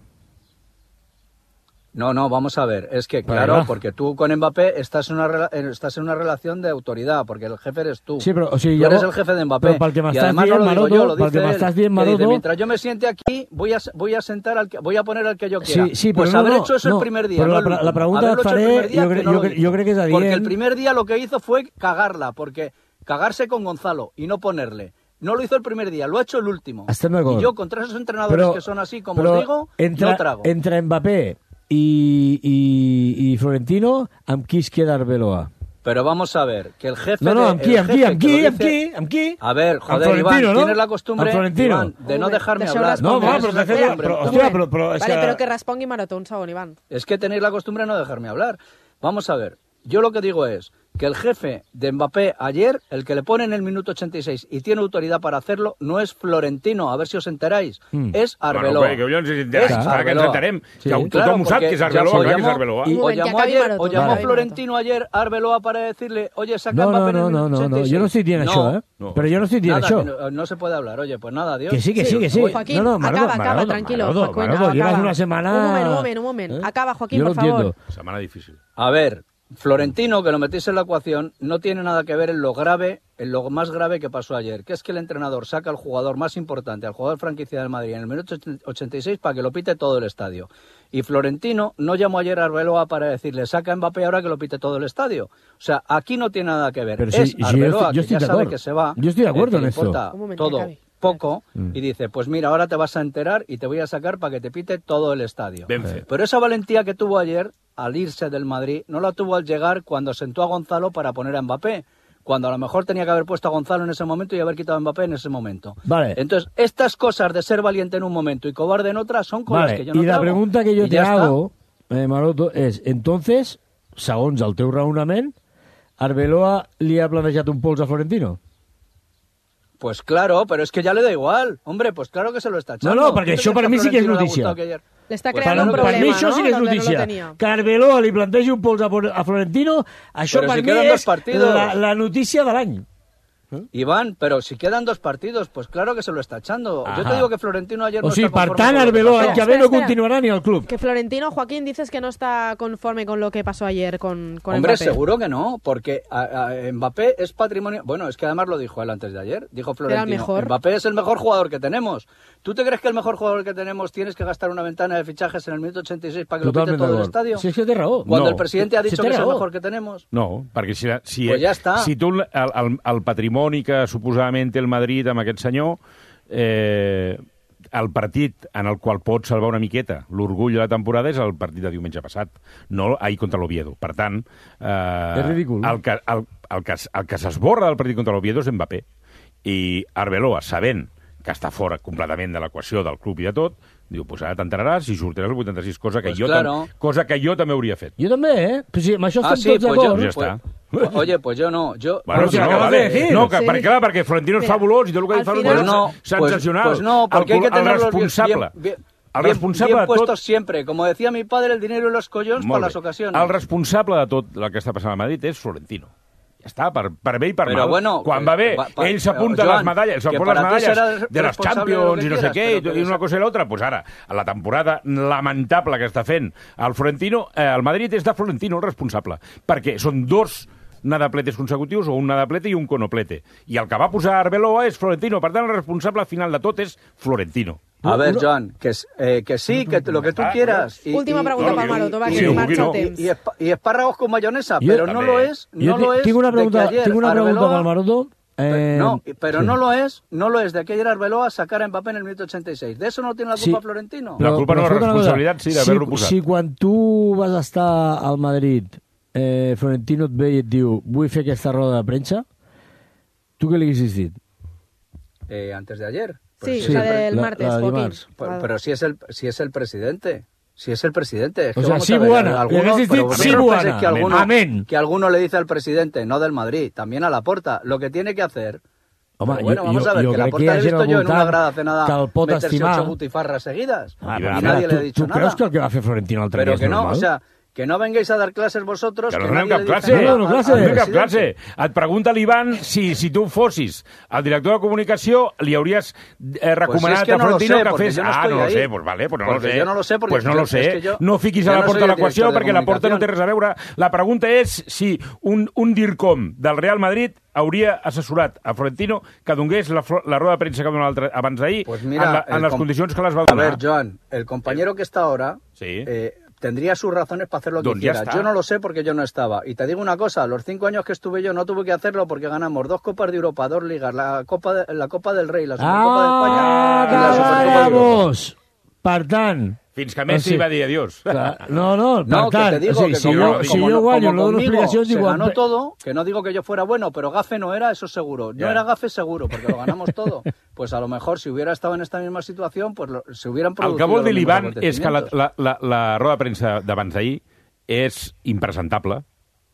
S19: No, no, vamos a ver. Es que,
S2: Vale,
S19: claro,
S2: va.
S19: porque tú con Mbappé estás en, una rela- eh, estás en una relación de autoridad, porque el jefe eres tú.
S2: Sí, però, o sigui,
S19: tú eres
S2: llavors-
S19: el jefe de Mbappé.
S2: però pel que
S19: y
S2: m'estàs
S19: además
S2: dient,
S19: no lo digo
S2: Maroto,
S19: yo, lo
S2: pel
S19: dice
S2: que
S19: él,
S2: m'estàs dient,
S19: que dice,
S2: Maroto-
S19: mientras yo me siente aquí, voy a, voy a sentar al que, voy a poner al que yo quiera.
S2: Sí, sí,
S19: pues
S2: però no,
S19: haber
S2: no,
S19: hecho eso
S2: no,
S19: el primer día,
S2: però
S19: no
S2: la
S19: el
S2: pre- la
S19: último.
S2: pregunta
S19: Haberlo
S2: et
S19: hecho el
S2: faré,
S19: primer día,
S2: jo
S19: que
S2: crec-
S19: no
S2: jo
S19: lo
S2: crec-
S19: hizo.
S2: jo crec que és adient.
S19: Porque el primer día lo que hizo fue cagarla, porque cagarse con Gonzalo y no ponerle. No lo hizo el primer día, lo ha hecho el último.
S2: Estem d'acord.
S19: Y yo contra esos entrenadores
S2: Però-
S19: que son así, como
S2: però
S19: os digo,
S2: entre,
S19: no trago.
S2: Entre Mbappé i, i, i Florentino, amb qui es queda Arbeloa?
S19: Pero vamos a ver, que el jefe
S2: No, no,
S19: de-
S2: amb qui,
S19: el
S2: amb qui,
S19: jefe
S2: amb
S19: que
S2: qui,
S19: lo
S2: amb
S19: dice-
S2: qui, amb qui?
S19: A ver,
S2: Amb
S19: joder,
S2: Florentino,
S19: Iván,
S2: no?
S19: tienes la costumbre,
S2: Amb Florentino.
S19: Iván, de no
S1: Home,
S19: dejarme
S1: deixeu
S19: hablar.
S1: respondre.
S2: No, va, però,
S1: Espera,
S2: però,
S1: un
S2: però,
S1: moment.
S2: hòstia, però, però és
S1: Vale,
S2: que...
S1: però que respongui Maroto, un segon, Iván.
S19: Es que tenéis la costumbre de no dejarme hablar. Vamos a ver, yo lo que digo es que el jefe de Mbappé ayer, el que le pone en el minuto ochenta y seis y tiene autoridad para hacerlo, no es Florentino, a ver si os enteráis,
S2: Mm.
S19: es Arbeloa.
S3: Bueno, que jo ens enterem,
S19: Es
S3: clar que ens
S19: Arbeloa.
S3: enterem.
S2: Sí.
S3: Que tothom
S19: Claro,
S3: ho sap
S19: porque
S3: que és
S19: ya
S3: Arbeloa,
S19: os
S3: clar que és
S19: llamó-
S3: Arbeloa.
S19: Y
S1: Un
S19: o
S1: moment, que
S19: llamó
S1: acabi
S19: ayer,
S1: Maroto,
S19: o
S1: que
S19: llamó
S1: acabi
S19: Florentino ayer a Arbeloa para decirle, oye, saca
S2: No,
S19: Mbappé
S2: no,
S19: en el
S2: no,
S19: minuto
S2: no, no,
S19: ochenta y
S2: no,
S19: seis.
S2: jo no estic dient
S19: No.
S2: això, eh?
S3: No.
S2: Però jo no estic dient
S19: Nada,
S2: això.
S19: que no, no se puede hablar. Oye, pues nada, adiós.
S2: Que sí, que sí, que sí.
S1: Joaquín,
S2: no, no, Maroto,
S1: acaba, acaba,
S2: Maroto,
S1: tranquilo.
S2: Maroto,
S1: Joaquín,
S2: Maroto,
S1: acaba.
S2: llevas una semana...
S1: Un moment, un moment, un moment.
S2: ¿Eh?
S1: Acaba, Joaquín,
S2: Yo
S1: por
S2: lo
S1: favor.
S2: entiendo.
S3: Setmana difícil.
S19: A ver, Florentino, que lo metéis en la ecuación, no tiene nada que ver en lo grave, en lo más grave que pasó ayer, que es que el entrenador saca al jugador más importante, al jugador franquicia del Madrid, en el minuto ochenta y seis para que lo pite todo el estadio. Y Florentino no llamó ayer a Arbeloa para decirle, saca a Mbappé ahora que lo pite todo el estadio. O sea, aquí no tiene nada que ver.
S2: Pero
S19: es
S2: sí, sí,
S19: Arbeloa,
S2: yo estoy- yo
S19: que ya
S2: estoy de
S19: sabe
S2: acuerdo.
S19: que se va.
S2: Yo estoy de acuerdo
S19: eh, que
S2: en
S19: le
S2: eso.
S19: importa
S1: Un momento, que
S19: todo,
S1: acabe.
S19: poco,
S2: Mm.
S19: y dice, pues mira, ahora te vas a enterar y te voy a sacar para que te pite todo el estadio.
S3: Ben fet.
S19: Pero esa valentía que tuvo ayer al irse del Madrid no la tuvo al llegar cuando sentó a Gonzalo para poner a Mbappé, cuando a lo mejor tenía que haber puesto a Gonzalo en ese momento y haber quitado a Mbappé en ese momento.
S2: Vale.
S19: Entonces, estas cosas de ser valiente en un momento y cobarde en otra son con las
S2: Vale,
S19: que yo no
S2: y la
S19: trago.
S2: pregunta que yo
S19: Y
S2: te
S19: ya está.
S2: hago, eh, Maroto, és, entonces, segons el teu raonament, Arbeloa li ha plantejat un pols a Florentino?
S19: Pues claro, pero es que ya le da igual. Hombre, pues claro que se lo está
S2: No,
S19: echando.
S2: no, perquè
S19: ¿Tú te
S2: això
S19: crees
S2: per
S19: que a
S2: mi sí que és
S19: Florentino le ha
S2: notícia.
S19: gustado que ayer-
S1: Le està
S19: Pues
S1: creant
S19: claro,
S1: un
S19: per
S1: problema,
S2: per mi això
S1: no?
S2: sí que és
S1: Donde no lo
S2: notícia.
S1: tenía.
S2: Que Arbeloa li plantegi un pols a, a Florentino, això
S19: Però
S2: per
S19: si
S2: mi
S19: queden
S2: és
S19: dos partidos.
S2: la, la notícia de l'any.
S19: Iván, pero si quedan dos partidos, pues claro que se lo está echando. Yo
S2: Ajá.
S19: te digo que Florentino ayer
S2: O
S19: no
S2: sigui,
S19: está
S2: per
S19: conforme
S2: tant,
S19: con lo que
S2: Arbeloa
S19: pasó.
S2: l'any que ve
S1: Espera,
S2: no
S1: espera.
S2: continuarà ni al club.
S1: Que Florentino, Joaquín, dices que no está conforme con lo que pasó ayer con, con
S19: Hombre,
S1: Mbappé.
S19: seguro que no, porque a, a Mbappé es patrimonio... Bueno, es que además lo dijo él antes de ayer, dijo Florentino.
S1: mejor.
S19: Mbappé es el mejor jugador que tenemos. ¿Tú te crees que el mejor jugador que tenemos tienes que gastar una ventana de fichajes en el minuto ochenta y seis para que
S2: Totalment
S19: lo pite todo el
S2: d'acord.
S19: estadio?
S2: Si és que té raó.
S19: Cuando
S3: No.
S19: el presidente ha
S2: Si
S19: dicho
S2: té
S19: que es el
S2: raó.
S19: mejor que tenemos.
S3: No, perquè si, si,
S19: Pues ja està.
S3: si tu el, el, el patrimoni que suposadament té el Madrid amb aquest senyor, eh, el partit en el qual pot salvar una miqueta l'orgull de la temporada és el partit de diumenge passat, no ahir contra l'Oviedo. Per tant, eh,
S2: És ridícul.
S3: el que, el, el que, el que s'esborra del partit contra l'Oviedo és Mbappé. I Arbeloa, sabent que està fora completament de l'equació del club i de tot, diu, pues ara t'enteraràs i sortiràs el vuitanta-sis, cosa que,
S19: Pues
S3: jo,
S19: claro.
S3: tam, cosa que jo també hauria fet.
S2: Jo també, eh? Però sí, amb això
S19: Ah,
S2: estem
S19: sí,
S2: tots
S19: pues yo,
S2: d'acord.
S3: Ja
S19: pues-
S3: està.
S19: pues- oye, pues yo no. Yo,
S3: Bueno,
S2: Però si
S3: no,
S2: l'acabas
S3: vale.
S2: de decir.
S3: No, que,
S1: Sí.
S3: perquè, clar, perquè Florentino és
S1: Mira,
S3: fabulós i tot el que
S1: al
S3: ell fa
S1: final-
S3: és
S19: Pues no,
S3: sensacional.
S19: Pues, pues no, porque
S3: el,
S19: hay que
S3: el
S19: tenerlos bien-
S3: responsable,
S19: bien, bien,
S3: el
S19: bien-
S3: responsable
S19: bien
S3: de tot...
S19: puestos siempre. Como decía mi padre, el dinero y los collones
S3: Molt
S19: para
S3: bé.
S19: las ocasiones.
S3: El responsable de tot el que està passant a Madrid és Florentino. Ja està, per, per bé i per
S19: Però
S3: mal.
S19: bueno,
S3: Quan
S19: que-
S3: va bé,
S19: pa- pa-
S3: ell s'apunta
S19: Joan,
S3: les medalles,
S19: que
S3: s'apunta les
S19: para ti
S3: medalles
S19: será
S3: de les
S19: responsable de lo
S3: Champions
S19: que
S3: i no sé
S19: quieras,
S3: què,
S19: pero
S3: i,
S19: que
S3: i una
S19: esa-
S3: cosa i l'altra, pues ara, a la temporada lamentable que està fent el Florentino, eh, el Madrid és de Florentino el responsable, perquè són dos nadapletes consecutius o un nadaplete i un conoplete. I el que va posar Arbeloa és Florentino. Per tant, el responsable final de tot és Florentino.
S19: A ver, Joan, que, eh, que sí, que lo que tú quieras. Y,
S1: Última pregunta para Maroto, va, que
S19: y,
S1: marcha el
S19: y,
S1: temps.
S19: y, esp y espárragos con mayonesa,
S2: Yo,
S19: pero no lo es, no
S2: yo
S19: lo es
S2: tengo una pregunta,
S19: de que ayer
S2: tengo una pregunta
S19: Arbeloa,
S2: para el Maroto. Eh,
S19: no, pero
S2: sí.
S19: no lo es, no lo es de que ayer Arbeloa sacara a Mbappé en el minuto ochenta y seis. De eso no tiene la culpa
S2: Sí.
S19: Florentino.
S3: La culpa no, la
S2: escolta una cosa.
S3: responsabilitat sí d'haver-lo
S2: si,
S3: posat.
S2: Si quan tu vas estar al Madrid, eh, Florentino et ve i et diu vull fer aquesta roda de premsa, tu què li haguessis dit?
S19: Eh, antes de ayer.
S1: Sí,
S19: si
S1: la
S19: es el-
S1: del martes,
S2: la de
S1: Joaquín.
S2: dimarts.
S19: Pero, pero si es el si es el presidente. Si es el presidente. Es
S2: O
S19: que
S2: sea,
S19: vamos
S2: sí,
S19: a ver,
S2: buena.
S19: alguno-
S2: Le habéis
S19: pero
S2: dicho,
S19: vosotros
S2: sí, buena.
S19: pensáis que alguno,
S2: Amén.
S19: que alguno le dice al presidente, no del Madrid, también a Laporta, lo que tiene que hacer.
S2: Home,
S19: Pero bueno,
S2: jo-
S19: vamos
S2: jo-
S19: a ver,
S2: jo
S19: que
S2: crec
S19: Laporta
S2: que hi ha
S19: l'he
S2: gent
S19: visto
S2: al
S19: yo en una
S2: voltant
S19: grada cenada
S2: que el pot
S19: meterse
S2: estimar.
S19: ocho butifarras seguidas.
S2: Ah,
S19: y
S2: però,
S19: nadie
S2: tu,
S19: le ha dicho
S2: tu
S19: nada.
S2: creus que el que va fer Florentino l'altre
S19: Pero
S2: dia és
S19: que no,
S2: normal?
S19: o sea, que no vengáis a dar clases vosotros.
S3: Que no
S19: que
S3: donem
S19: nadie
S3: cap
S19: le dice
S3: clase.
S19: nada
S3: No,
S19: al-
S3: no,
S19: al
S3: clase. No donem cap
S19: presidente.
S3: clase. Et pregunta l'Ivan si, si tu fossis el director de comunicació li hauries eh, recomanat
S19: Pues es que
S3: a
S19: no lo
S3: Florentino
S19: sé,
S3: que
S19: porque
S3: fes...
S19: yo no
S3: ah,
S19: estoy
S3: no lo
S19: ahí.
S3: sé, pues vale, pues no
S19: Porque
S3: lo sé.
S19: yo no lo sé, porque
S3: pues no
S19: yo-
S3: lo sé.
S19: es que yo-
S3: no fiquis
S19: yo
S3: a la
S19: no
S3: porta
S19: soy
S3: de
S19: el
S3: l'equació
S19: director de
S3: perquè la porta no té
S19: comunicación.
S3: res a veure. La pregunta és si un, un DIRCOM del Real Madrid hauria assessorat a Florentino que donés la, flo- la roda de premsa que va donar l'altre- abans d'ahir
S19: Pues
S3: en,
S19: mira,
S3: la, en
S19: el
S3: les
S19: com-
S3: condicions que les va
S19: A
S3: donar.
S19: ver, Joan, el compañero que está ahora
S3: Sí.
S19: eh, tendría sus razones para hacer lo que
S3: Don, ya
S19: quiera.
S3: está.
S19: Yo no lo sé porque yo no estaba. Y te digo una cosa, los cinco años que estuve yo no tuve que hacerlo porque ganamos dos Copas de Europa, dos Ligas, la Copa, de, la Copa del Rey, la Supercopa de España
S2: Ah,
S19: y la Supercopa de Europa.
S2: vamos! Per tant...
S3: Fins que Messi
S2: o sigui,
S3: va dir adiós.
S2: clar, No, no, per
S19: No, que
S2: tant,
S19: te digo
S2: o sigui,
S19: que
S2: si
S19: como,
S2: jo,
S19: como
S2: si
S19: no-
S2: jo guanyo,
S19: como
S2: no dono
S19: conmigo
S2: explicacions,
S19: se
S2: diu...
S19: ganó todo, que no digo que yo fuera bueno, pero gafe no era, eso seguro. No
S3: Ya.
S19: era gafe seguro, porque lo ganamos todo. Pues a lo mejor si hubiera estado en esta misma situación, pues lo- se hubieran
S3: El
S19: producido
S3: que vol dir
S19: los mismos
S3: l'Ivan és que la,
S19: acontecimientos.
S3: la, la, la roda de premsa d'abans d'ahir és impresentable.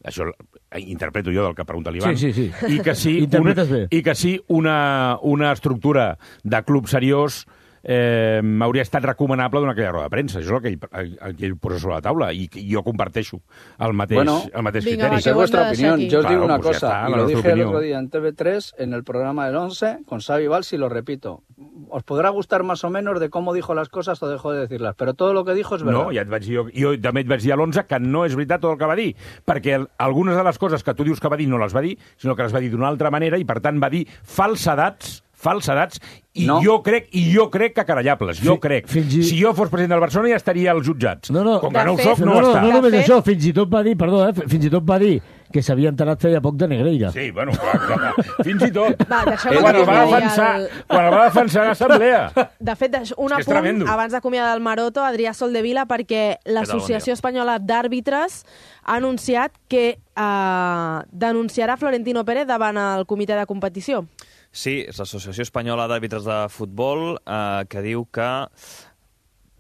S3: Això eh, interpreto jo del que pregunta l'Ivan.
S2: Sí, sí, sí.
S3: I que sí,
S2: Interpretes
S3: una,
S2: bé.
S3: i que sí una, una estructura de club seriós eh, hauria estat recomanable donar aquella roda de premsa. Això és el que ell, el que ell posa sobre la taula i que jo comparteixo el mateix,
S19: Bueno,
S3: el mateix
S1: vinga,
S3: criteri.
S19: Esa es vuestra opinión. Yo os
S3: Claro,
S19: digo una
S3: pues ya
S19: cosa,
S3: está,
S19: y
S3: la
S19: lo
S3: nuestra
S19: dije el
S3: opinión.
S19: otro día en T V tres, en el programa del once, con Xavi Valls, y lo repito. Os podrá gustar más o menos de cómo dijo las cosas o dejó de decirlas, pero todo lo que dijo es verdad.
S3: No, ja et vaig dir, jo, jo també et vaig dir a l'onze que no és veritat tot el que va dir, perquè el, algunes de les coses que tu dius que va dir no les va dir, sinó que les va dir d'una altra manera i, per tant, va dir falsedats, falsedats, i
S19: No.
S3: jo crec i jo crec que querellables, jo
S2: Fi-
S3: crec.
S2: fins i-
S3: Si jo fos president del Barcelona ja estaria als jutjats.
S2: No, no.
S3: Com que
S1: De
S3: no ho
S1: fet-
S3: soc, no,
S2: No, no,
S3: està.
S2: no només
S1: De fet-
S2: això, fins i tot va dir, perdó, eh, fins i tot va dir que s'havia enterat feia poc de Negreira.
S3: Sí, bueno, clar, clar. Fins i tot.
S1: Va, deixeu-me
S3: quan,
S1: que
S3: el va
S1: us digui
S3: defensar,
S1: el-
S3: quan el va defensar a l'assemblea.
S1: De fet, deix- un
S3: És que és
S1: apunt
S3: tremendo.
S1: abans d'acomiadar el Maroto, Adrià Soldevila, perquè l'Associació Espanyola d'Àrbitres ha anunciat que eh, denunciarà Florentino Pérez davant el comitè de competició.
S20: Sí, és l'Associació Espanyola d'Àrbitres de Futbol eh, que diu que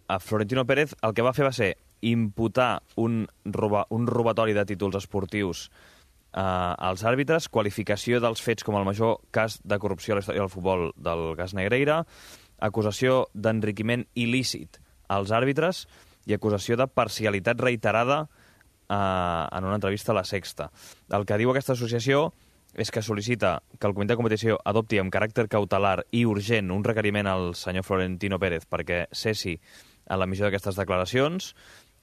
S20: a Florentino Pérez el que va fer va ser imputar un, roba, un robatori de títols esportius eh, als àrbitres, qualificació dels fets com el major cas de corrupció a la història del futbol del Gas Negreira, acusació d'enriquiment il·lícit als àrbitres i acusació de parcialitat reiterada eh, en una entrevista a La Sexta. El que diu aquesta associació és que sol·licita que el comitè de competició adopti amb caràcter cautelar i urgent un requeriment al senyor Florentino Pérez perquè cessi a l'emissió d'aquestes declaracions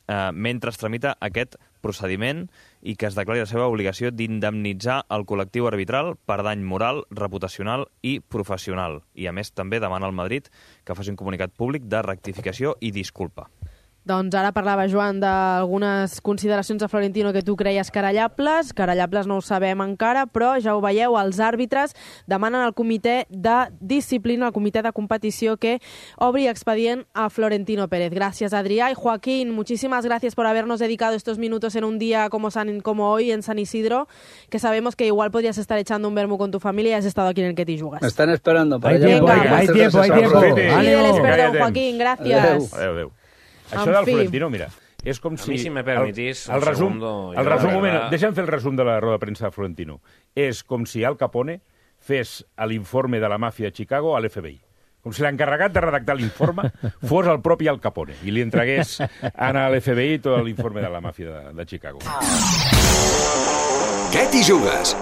S20: eh, mentre es tramita aquest procediment i que es declari la seva obligació d'indemnitzar el col·lectiu arbitral per dany moral, reputacional i professional. I, a més, també demana al Madrid que faci un comunicat públic de rectificació i disculpa.
S1: Doncs ara parlava, Joan, d'algunes consideracions de Florentino que tu creies querellables. Querellables no ho sabem encara, però ja ho veieu, els àrbitres demanen al comitè de disciplina, al comitè de competició, que obri expedient a Florentino Pérez. Gracias, Adrià. Y Joaquín, muchísimas gracias por habernos dedicado estos minutos en un día como, San, como hoy en San Isidro, que sabemos que igual podrías estar echando un vermú con tu familia y has estado aquí en el Que t'hi jugues.
S19: Me están esperando para
S2: Hay
S19: allá.
S2: tiempo,
S19: Venga,
S2: hay
S19: pues,
S2: tiempo, hay
S19: entonces,
S2: tiempo.
S19: aprofite.
S1: Pídeles
S2: Ánimo.
S1: perdón, Joaquín, gracias.
S3: Adéu, adéu. Això
S1: En
S3: del
S1: fi.
S3: Florentino, mira, és com si...
S5: mi, si me permitís,
S3: el, el
S5: un
S3: resum,
S5: segundo,
S3: el
S5: jo,
S3: resum,
S5: la
S3: moment,
S5: verdad-
S3: deixa'm fer el resum de la roda de premsa de Florentino. És com si Al Capone fes l'informe de la màfia de Chicago a l'F B I. Com si l'encarregat de redactar l'informe fos el propi Al Capone i li entregués a l'F B I tot l'informe de la màfia de, de Chicago.
S21: Què t'hi jugues?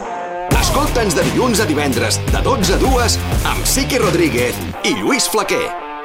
S21: Escolta'ns de dilluns a divendres, de dotze a dues, amb Siqui Rodríguez i Lluís Flaquer.